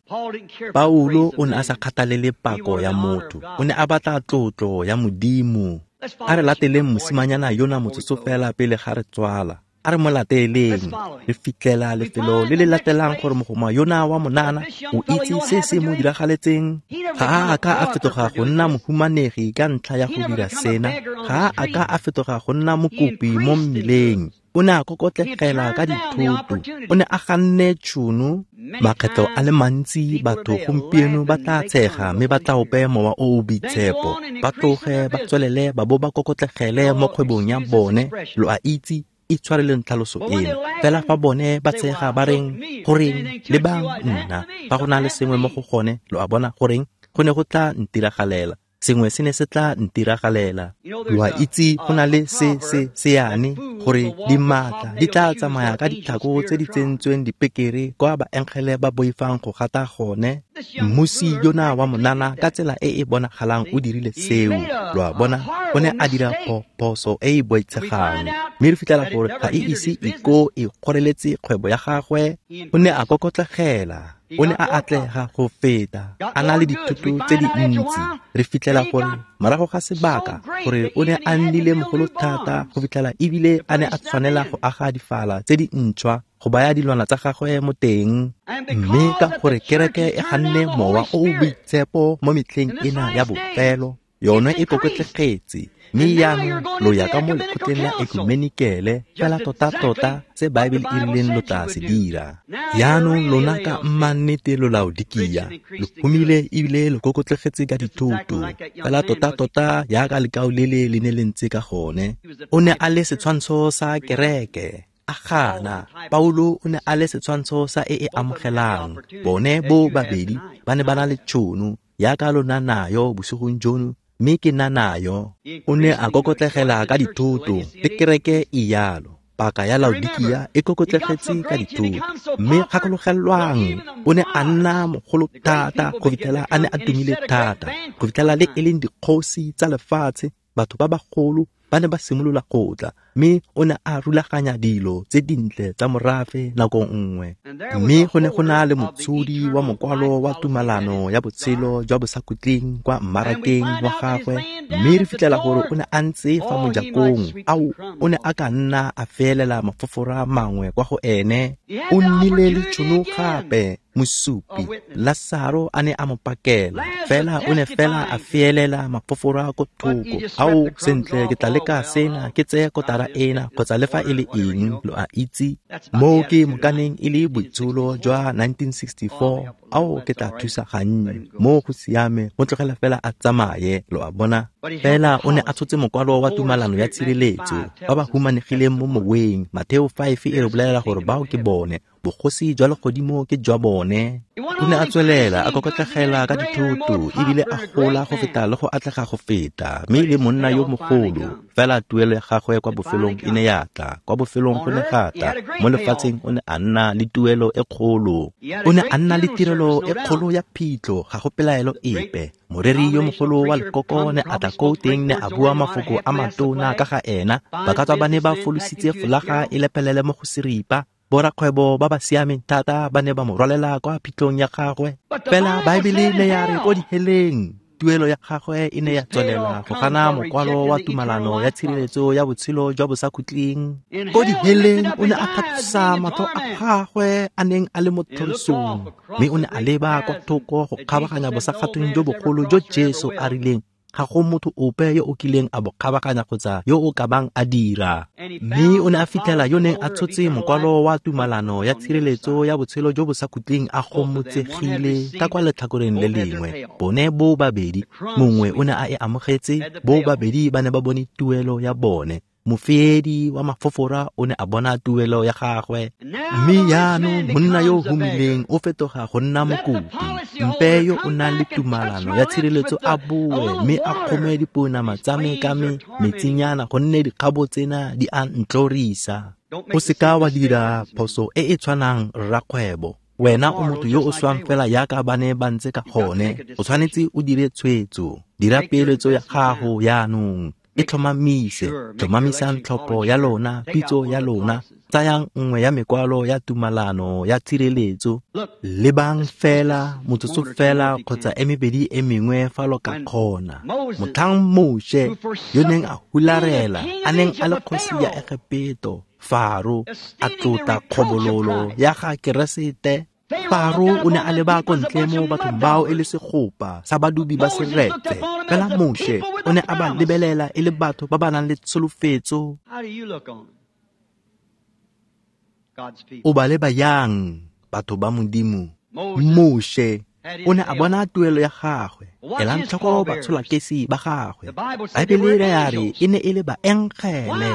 Paulo o ne a sa kgathalele pako ya motho, o ne a batla tlotlo ya Modimo. A re lateleng mosimanyana yona motsotso fela pele ga re tswala. A re mo lateleng. Re fitlhela lefelo le le latelang gore mogoma yona wa monana o itse se se mo diragaletseng. Ga a ka a fetoga go nna mohumanegi ka ntlha ya go dira sena. Ga a ka a fetoga go nna mokopi mo mmileng. O ne a kokotlegela ka dithoto. O ne a ganne tšhono. Makgetlo a le mantsi batho gompieno ba tla tshega mme ba tla ope mowa o o boitshepo. Ba tloge ba tswelele ba bo ba kokotlegele mo kgwebong ya bone. Lo a itse, itshwareleng tlhaloso eno. Fela fa bone ba tshega ba reng, goreng, lebang nna, fa go na le sengwe mo go gone, lo a bona, goreng, go ne go tla ntiragalela. Sengwe se ne se tla ntiragalela. Lo a itse, go na le se se seane gore dimatla di tla tsamaya ka ditlhako tse di tsentsweng dipekere kwa baengele ba boifang go gata gone. Mmusi yona wa monana ka tsela e e bonagalang o dirile seo. Lo a bona, o ne a dira phoso e e boitshegang. Mme re fitlhela gore ga e ise e ko e kgoreletse kgwebo ya gagwe. O ne a kokotlegela. O ne a atlega go feta, a na le dithoto tse dintsi. Re fitlhela gore morago ga sebaka gore o ne a nnile mogolo thata go fitlhela ebile a ne a tshwanela go aga difala tse dintšhwa go baya dilwana tsa gagwe mo teng. Mme ka gore kereke e ganne mowa o o boitshepo mo metlheng ena ya bofelo, yone e kokotlegetse. Mme jaanong lo ya ka mo lekgotleng la ekumenikele, fela tota-tota se Baebele e rileng lo tla se dira. Jaanong lona ka mmannete lo Laodikia, lo humile ebile lo kokotlegetse ka dithoto, fela tota-tota jaaka lekao lele le ne le ntse ka gone. O ne a le setshwantsho sa kereke. A gana. Paulo o ne a le setshwantsho sa e e amogelang. Bone bo babedi ba ne ba na le tšhono jaaka lona nayo bosigong jono, mme ke na nayo. O ne a kokotlegela ka dithoto, le kereke e jalo. Paka ya Laodikia e kokotlegetse ka dithoto. Mme gakologelwang, o ne a nna mogolo thata go fitlhela a ne a tumile thata, go fitlhela le e leng dikgosi tsa lefatshe, batho ba bagolo ba ne ba simolola go tla, mme o ne a rulaganya dilo tse dintle tsa morafe nako nngwe. Mme go ne go na le motshodi wa mokwalo wa tumalano ya botshelo jwa bosakhutleng kwa mmarakeng wa gagwe, mme re fitlhela gore o ne a ntse fa mojakong. Ao, o ne a ka nna a feelela mafofora mangwe kwa go ene. O nnile le tšhono gape. Mosupi Lasaro a ne a mo pakela, fela o ne fela a feelela mafofora ko thoko. Ao, sentle, ke tla leka sena, ke tseye kotara ena kgotsa le fa e le eng, lo a itse. Moo ke mokaneng e le boitsholo jwa 1964. Ao, ke tla thusa gannye. Moo go siame, mo tlogela fela a tsamaye, lo a bona. Fela o ne a tshotse mokwalo wa tumalano ya tshireletso, ba ba humanegileng mo moweng. Mateo 5 e re bolelela gore bao ke bone. Bogosi jwa legodimo ke jwa bone. O ne a tswelela a kokotlegela ka dithoto ebile a gola go feta le go atlega go feta, mme le monna yo mogolo. Fela tuelo ya gagwe kwa bofelong e ne ya tla. Kwa bofelong go ne ga tla. Mo lefatsheng o ne a nna le tuelo e kgolo. O ne a nna le tirelo e kgolo ya phitlho, ga go pelaelo epe. Moreri yo mogolo wa lekoko ne a tla ko teng, ne a bua mafoko a matona ka ga ena. Ba ka tswa ba ne ba folositse folaga e lepelele mo go seripa. Borakgwebo ba ba siameng thata ba ne ba mo rwalela kwa phitlhong ya gagwe. Fela Baebele ne ya re ko diheleng tuelo ya gagwe e ne ya tswelela go gana mokwalo wa tumalano ya tshireletso ya botshelo jwa bosakhutleng. Ko diheleng o ne a tlhatlosa matlho a gagwe a neng a le mo tlhorisong, mme o ne a leba kwa thoko go kgabaganya bosakgathong jo bogolo jo Jesu a rileng ga go motho ope yo o kileng a bo kgabaganya kgotsa yo o ka bang a dira. Mme o ne a fitlhela yo neng a tshotse mokwalo wa tumalano ya tshireletso ya botshelo jo bosakhutleng a gomotsegile ka kwa letlhakoreng le lengwe. Bone bo babedi, mongwe o ne a e amogetse, bo babedi ba ne ba bone tuelo ya bone. Mofeedi wa mafofora o ne a bona tuelo ya gagwe. Mme jaanong monna yo o humileng o fetoga go nna mokopi. Mpe yo o nang le tumalano ya tshireletso a boe mme a kgome dipounama tsa me ka metsinyana, gonne dikgabo tsena di a ntlorisa. O seka wa dira phoso e e tshwanang, rrakgwebo. Wena o motho yo o swang fela jaaka ba ne ba ntse ka gone. O tshwanetse o dire tshwetso. Dira peeletso ya gago jaanong. E tlhomamise, tlhomamisang tlhopho ya lona, pitso ya lona. Tsayang nngwe ya mekwalo ya tumalano ya tshireletso. Lebang fela, motsotso fela kgotsa e mebedi e mengwe fa lo ka kgona. Motlhang Moshe yo neng a hularela, a neng a le kgosi ya Egepeto, Faro a tlotla kgobololo ya ga Keresete. Faro o ne a leba ko ntle mo bathong bao e le segopa sa badubi ba seretse, fela Moshe o ne a ba lebelela e le batho ba ba nang le tsholofetso. O ba leba yang batho ba Modimo? Moshe o ne a bona tuelo ya gagwe. Elang tlhoko batsholakesi ba gagwe. Baebele ya re e ne e le baengele.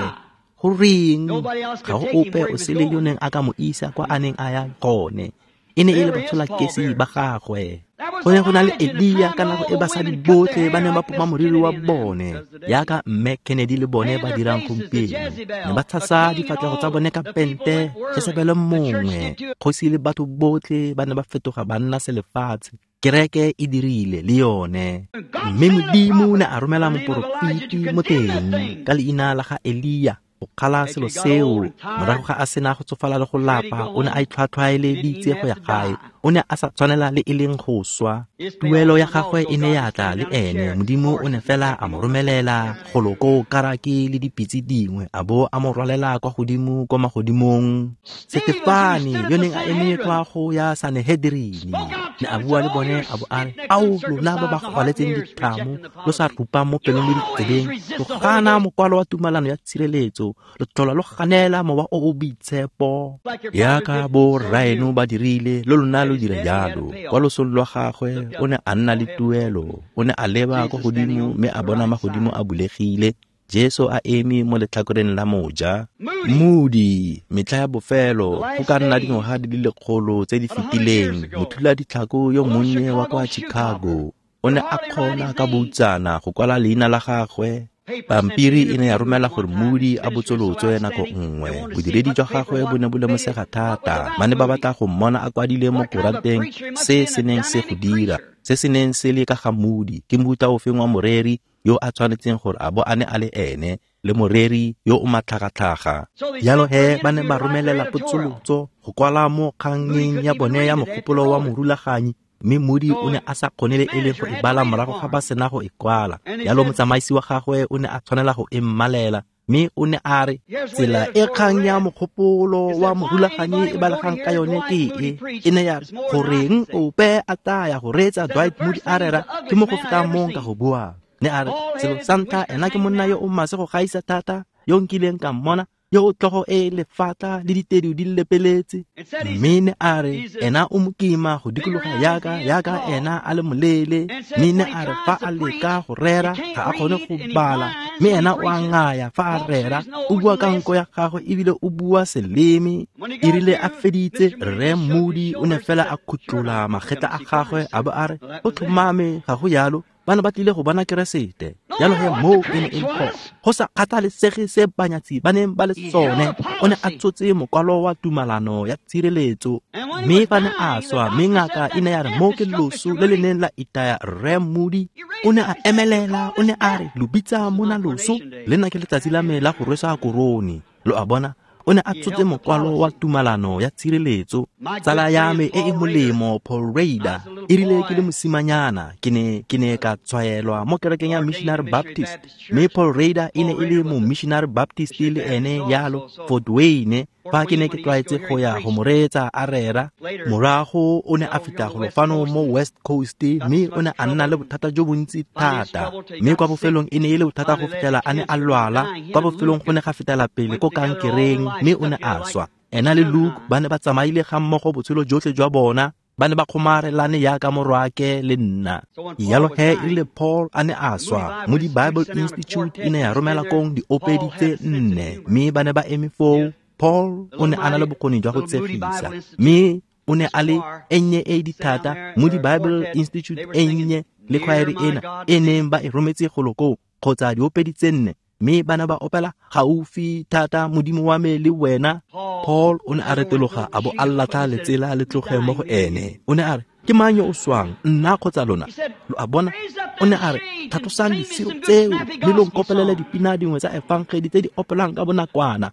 Goreng ga go ope o sele yo neng a ka mo isa kwa a neng a ya gone? E ne e le batsholakesi ba gagwe. Go ne go na le Elia ka nako e basadi botlhe ba neng ba poma moriri wa bone, yaka mme Kennedy le bone ba dirang gompieno. Ne ba tshasa difatlhego tsa bone ka pente, Jesebele mongwe, kgosi le batho botlhe ba ne ba fetoga ba nna selefatshe. Kereke e dirile le yone. Mme Modimo ne a romela moporofeti mo teng ka leina la ga Elia go kgala selo seo. Morago ga a sena go tsofala le go lapa, o ne a itlhwatlhwaeleditse go ya gae. O ne a sa tshwanela le e leng go swa. Tuelo ya gagwe e ne ya tla le ene. Modimo o ne fela a mo romelela golo ko karaki le dipitse dingwe, a bo a mo rwalela kwa godimo kwa magodimong. Setefane yo neng a eme kwa go ya Sanehedrini ne a bua le bone a bo a re, ao lona ba ba gwaletseng dithamo, lo sa rupang mo pelong le ditsebeng, lo gana mokwalo wa tumalano ya tshireletso, lo tlhola lo ganela mowa o o boitshepo. Yaka bo rraeno ba dirile, lo lona lo dira jalo. Kwa losong lwa gagwe o ne a nna le tuelo. O ne a leba kwa godimo mme a bona magodimo a bulegile, Jesu a eme mo letlhakoreng la moja. Moody, metlha ya bofelo, go ka nna dingwaga di le lekgolo tse di fetileng, mothula ditlhako yo monnye wa kwa Chicago o ne a kgona ka boutsana go kwala leina la gagwe. Pampiri e ne ya romela gore Moody a botsolotswe nako nngwe. Bodiredi jwa gagwe bo ne bo lemosega thata. Ba ne ba batla go mmona a kwadile mo koranteng se se neng se go dira, se se neng se le ka ga Moody. Ke mofuta ofeng wa moreri yo a tshwanetseng gore a bo a ne a le ene, le moreri yo o matlhagatlhaga. Jalo he ba ne ba romelela potsolotso go kwala mo kgangeng ya bone ya mogopolo wa morulaganyi, mme Moody o ne a sa kgone le e leng go e bala morago ga ba sena go e kwala. Jalo motsamaisi wa gagwe o ne a tshwanela go e mmalela, mme o ne a re, tsela e kgang ya mogopolo wa morulaganyi e balegang ka yone ke e. E ne ya re, goreng ope a taya go reetsa Dwight Moody a rera ke mo go fetang mong ka go buang. Ne a re, selo sa ntlha, ena ke monna yo o maswe go gaisa thata yo nkileng ka mmona, yo o tlogo e lefatla le ditedu di lepeletse. Mme ne a re, ena o mokima go dikologa yaka ena a le moleele. Mme ne a re fa a leka go rera ga a kgone go bala, mme ena o a ngaya fa a rera, o bua ka nko ya gagwe ebile o bua seleme. E rile a feditse, Rre Moody o ne fela a khutlola magetla a gagwe a bo a re, go tlhomame ga go yalo, ba ne ba tlile go bona Keresete. Jalo he moo e ne e le phoso. Go sa kgathalesege se banyatsi ba neng ba le sone, o ne a tshotse mokwalo wa tumalano ya tshireletso. Mme fa ne a swa, mme ngaka e ne ya re mo ke loso le le neng la itaya Rre Moody, o ne a emelela, o ne a re, lo bitsa mona loso, le nna ke letsatsi la me la go rwesa korone. Lo a bona, o ne a tshotse mokwalo wa tumalano ya tshireletso. Tsala ya me e e molemo, Paul Rader, e rile ke le mosimanyana, ke ne ka tshwaelwa mo kerekeng ya Missionary Baptist. Mme Paul Rader e ne e le mo Missionary Baptist le ene yalo, Fort Wayne, fa ke ne ke tlwaetse go ya go mo reetsa a rera. Morago o ne a feta golo fano mo West Coast, mme o ne a nna le bothata jo bontsi thata. Mme kwa bofelong e ne e le bothata go fitlhela a ne a lwala. Kwa bofelong go ne ga fetela pele ko kankereng, mme o ne a swa. Ena le Luke ba ne ba tsamaile ga mmogo botshelo jotlhe jwa bona, ba ne ba kgomarelane yaka morwake le nna. Jalo he e rile Paul a ne a swa, Moody Bible Institute e ne ya romela kong diopedi tse nne, mme ba ne ba eme foo. Paul o ne a na le bokgoni jwa go tsegisa, mme o ne a le e nnye e dithata. Moody Bible Institute e nnye le khwaere ena e neng ba e rometse golo koo, kgotsa diopedi tse nne, mme ba ne ba opela gaufi thata Modimo wa me le wena. Paul o ne a retologa a bo a latlha letsela le tloge mo go ene. O ne a re, ke mang yo o swang, nna kgotsa lona? Lo a bona? O ne a re, tlhatlosang disiro tseo mme lo nkopelele dipina dingwe tsa efangedi tse di opelang ka bonakwana.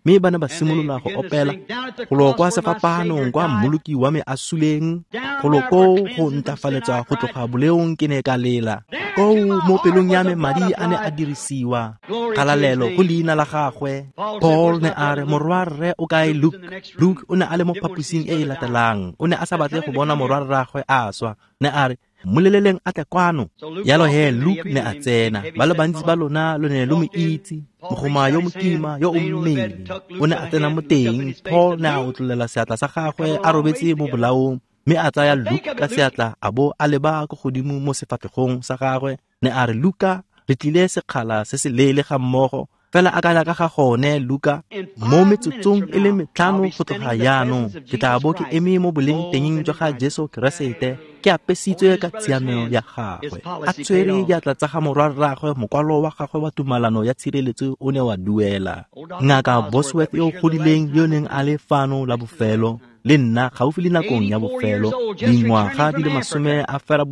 Mme ba ne ba simolola go opela golo kwa sefapaanong kwa mmoloki wa me a suleng, golo koo go ntlafaletsa go tloga boleong ke ne ka lela. Koo mo pelong ya me madi a ne a dirisiwa. Kgalalelo go leina la gagwe. Paul ne a re, morwarre o kae Luke? Luke o ne a le mo phaposing e e latelang. O ne a sa batle go bona morwarragwe a swa. Ne a re, mmoleleleng a tle kwano. Yalo he Luke ne a tsena. Ba le bantsi ba lona lo ne lo mo itse, mogoma yo mokima yo o mmele. O ne a tsena mo teng. Paul ne a otlolela seatla sa gagwe a robetse mo bolaong, mme a tsaya Luke ka seatla a bo a leba ko godimo mo sefatlhegong sa gagwe. Ne a re, Luka, re tlile sekgala se se leele ga mmogo, fela akanya ka ga gone, Luka, mo metsotsong e le 5 go tloga jaanong ke tla bo ke eme mo boleng teng jwa ga Jesu Keresete, ke apesitswe ka tshiamelo ya gagwe, a tshwere diatla tsa ga morwarraagwe. Mokwalo wa gagwe wa tumalano ya tshireletso o ne wa duela. Ngaka Bosworth yo o godileng yo neng a le fano la bofelo le nna gaufi le nakong ya bofelo, dingwaga di le 84,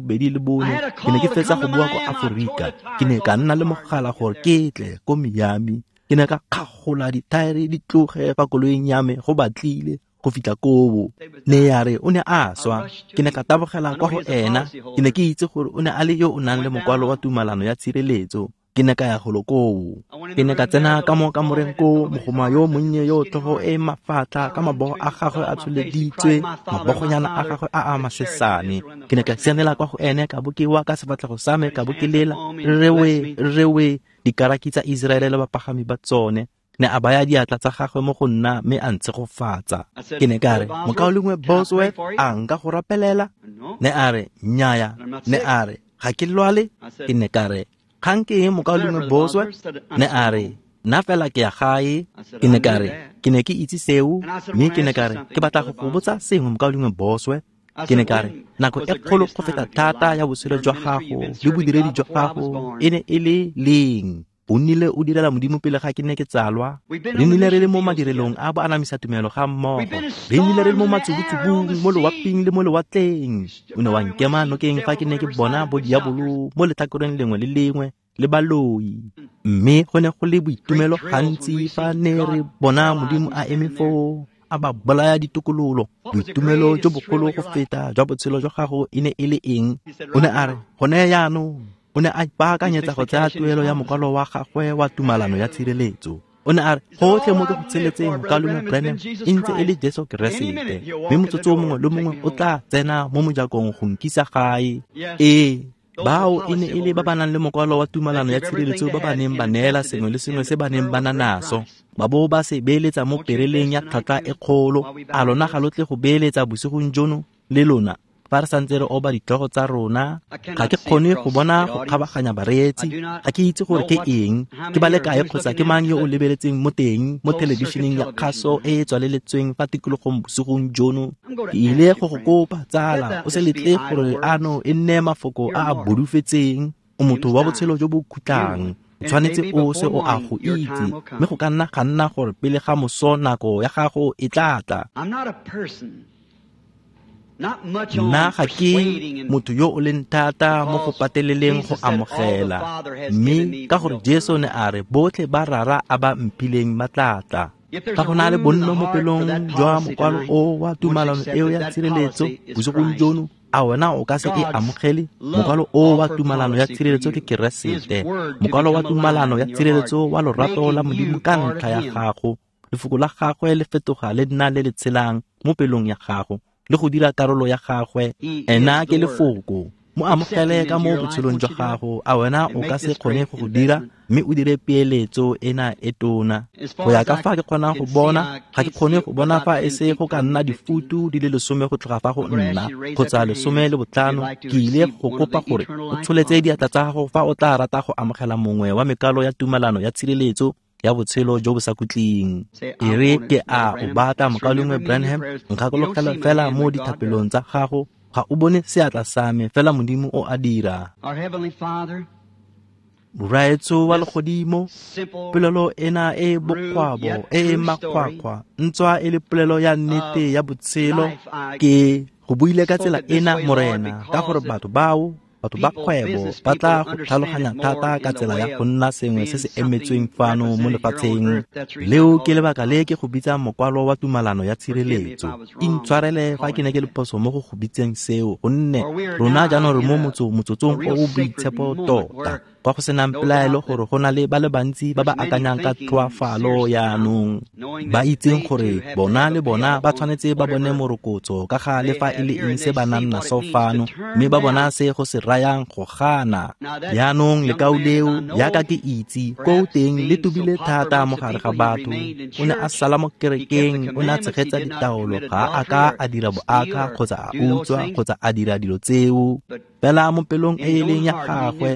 ke ne ke fetsa go boa ko Aforika. Ke ne ka nna le mogala gore ke tle ko Miami. Ke ne ka kgagola dithaere di tloge fa koloing ya me go batlile go fitlha koo. Ne ya re o ne a swa. Ke ne ka tabogela kwa go ena. Ke ne ke itse gore o ne a le yo o nang le mokwalo wa tumalano ya tshireletso. Ke ne ka ya golo koo. Ke ne ka tsena ka mo kamoreng koo, mogoma yo monnye yo tlhogo e mafatlha ka mabogo a gagwe a tsholeditswe, mabogonyana a gagwe a a masesane. Ke ne ka sianela kwa go ene, ka bo ke wa ka sefatlhego sa me, ka bo ke lela, rrewe, rrewe, dikaraki tsa Iseraele le bapagami ba tsone. Ne a baya diatla tsa gagwe mo go nna mme a ntshegofatsa. Ke ne ka re, mokaulengwe Bosworth, a nka go rapelela? Ne a re, nnyaya. Ne a re, ga ke lwale? Ke ne ka re, kgang ke eng, mokaulengwe Bosworth? Ne a re, nna fela ke ya gae. Ke ne ka re, ke ne ke itse seo, mme ke ne ka re, ke batla go go botsa sengwe, mokaulengwe Bosworth. Ke ne ka re, nako e kgolo go feta thata ya botshelo jwa gago le bodiredi jwa gago e ne e le leng? O nnile o direla Modimo pele ga ke ne ke tsalwa. Re nnile re le mo madirelong a bo anamisa tumelo ga mmogo. Re nnile re le mo matsubutsubung, mo loaping le mo lewatleng. O ne wa nkema nokeng fa ke ne ke bona bo diabolo mo letlhakoreng lengwe le lengwe le baloi. Mme go ne go le boitumelo gantsi fa ne re bona Modimo a eme foo, a ba bolaya ditokololo. Boitumelo jo bogolo go feta jwa botshelo jwa gago e ne e le eng? O ne a re, gone jaanong. O ne a ipaakanyetsa go tsaya tuelo ya mokwalo wa gagwe wa tumalano ya tshireletso. O ne a re, gotlhe mo ke go tsheletseng, mokaulengwe Branham, e ntse e le Jesu Keresete, mme motsotso mongwe le mongwe o tla tsena mo mojakong go nkisa gae. Ee, bao e ne e le ba ba nang le mokwalo wa tumalano ya tshireletso ba ba neng ba neela sengwe le sengwe se ba neng ba na naso, ba bo ba se beeletsa mo pereleng ya tlhwatlhwa e kgolo. A lona ga lo tle go beeletsa bosigong jono le lona? Fa re santse re oba ditlhogo tsa rona, ga ke kgone go bona go kgabaganya bareetsi. Ga ke itse gore ke eng, ke ba le kae kgotsa ke mang yo o lebeletseng mo teng mo thelebišeneng ya kgaso e e tswaleletsweng fa tikologong bosigong jono. Ke ile go go kopa, tsala, o se letle gore ano e nne mafoko a a bodufetseng. O motho wa botshelo jo bo khutlang, o tshwanetse o se o a go itse, mme go ka nna ga nna gore pele ga moso nako ya gago e tla tla. Nna ga ke motho yo o leng thata mo go pateleleng go amogela, mme ka gore Jesu ne a re botlhe ba Rara a ba mphileng ba tla tla. Fa go na le bonno mo pelong jwa mokwalo o wa tumalano eo ya tshireletso bosigong jono, a wena o ka se e amogele? Mokwalo o wa tumalano ya tshireletso ke Keresete, mokwalo wa tumalano ya tshireletso wa lorato la Modimo ka ntlha ya gago. Lefoko la gagwe le fetoga le nna le le tshelang mo pelong ya gago le go dira karolo ya gagwe. Ena ke lefoko. Mo amogele ka mo botshelong jwa gago. A wena o ka se kgone go go dira, mme o dire peeletso ena e tona? Go ya ka fa ke kgonang go bona, ga ke kgone go bona fa e se go ka nna difutu di le 10 go tloga fa go nna, kgotsa 15. Ke ile go kopa gore o tsholetse diatla tsa gago fa o tla rata go amogela mongwe wa mekalo ya tumalano ya tshireletso ya botshelo jo bo sa khutleng. E re ke a o batla, mokaulengwe Branham, nkgakologela fela mo dithapelong tsa gago. Ga o bone seatla sa me, fela Modimo o a dira. Rraetsho wa legodimo, polelo ena e bokgwabo e e makgwakgwa, ntswa e le polelo ya nnete ya botshelo, ke go buile ka tsela ena, Morena, ka gore batho bao Batho ba kgwebo ba tla go tlhaloganya thata ka tsela ya go nna sengwe se se emetsweng fano mo lefatsheng. Leo ke lebaka le ke go bitsang mokwalo wa tumalano ya tshireletso. Intshwarele fa ke ne ke le phoso mo go go bitseng seo, gonne rona jaanong re mo motsotsong o o boitshepo tota, kwa go senang pelaelo gore go na le ba le bantsi ba ba akanyang ka tlhoafalo jaanong, ba itseng gore bona le bona ba tshwanetse ba bone morokotso ka ga le fa e le eng se ba nang naso fano, mme ba bona se go se rayang go gana. Jaanong lekau leo, jaaka ke itse, koo teng le tobile thata mo gare ga batho. O ne a sala mo kerekeng, o ne a tshegetsa ditaolo, ga a ka a dira boaka kgotsa a utswa kgotsa a dira dilo tseo. Fela mo pelong e e leng ya gagwe,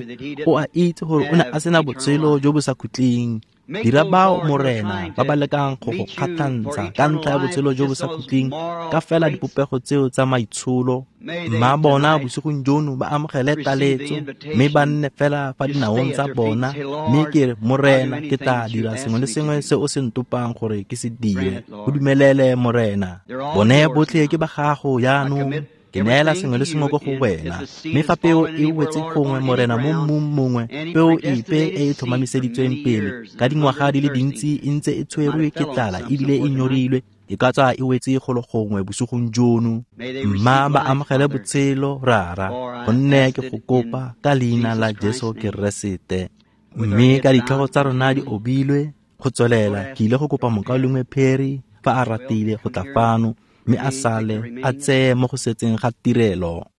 o a itse gore o ne a sena botshelo jo bo sa khutleng. Dira bao, Morena, ba ba lekang go go kgatlhantsha ka ntlha ya botshelo jo bo sa khutleng, ka fela dipopego tseo tsa maitsholo. Mma bona bosigong jono ba amogele taletso, mme ba nne fela fa dinaong tsa bona, mme ke re, Morena, ke tla dira sengwe le sengwe se o se ntopang gore ke se dire. Go dumelele, Morena. Bone botlhe ke ba gago jaanong. Ke neela sengwe le sengwe ko go wena. Mme fa peo e wetse gongwe, Morena, mo mmung mongwe, peo epe e e tlhomamiseditsweng pele ka dingwaga di le dintsi e ntse e tshwerwe ke tlala ebile e nyorilwe, e ka tswa e wetse golo gongwe bosigong jono. Mma ba amogele botshelo, Rara, gonne ke go kopa ka leina la Jesu Keresete. Mme ka ditlhogo tsa rona di obilwe go tswelela, ke ile go kopa mokaulengwe Perry fa a ratile go tla fano, mme a sale a tseye mo go setseng ga tirelo.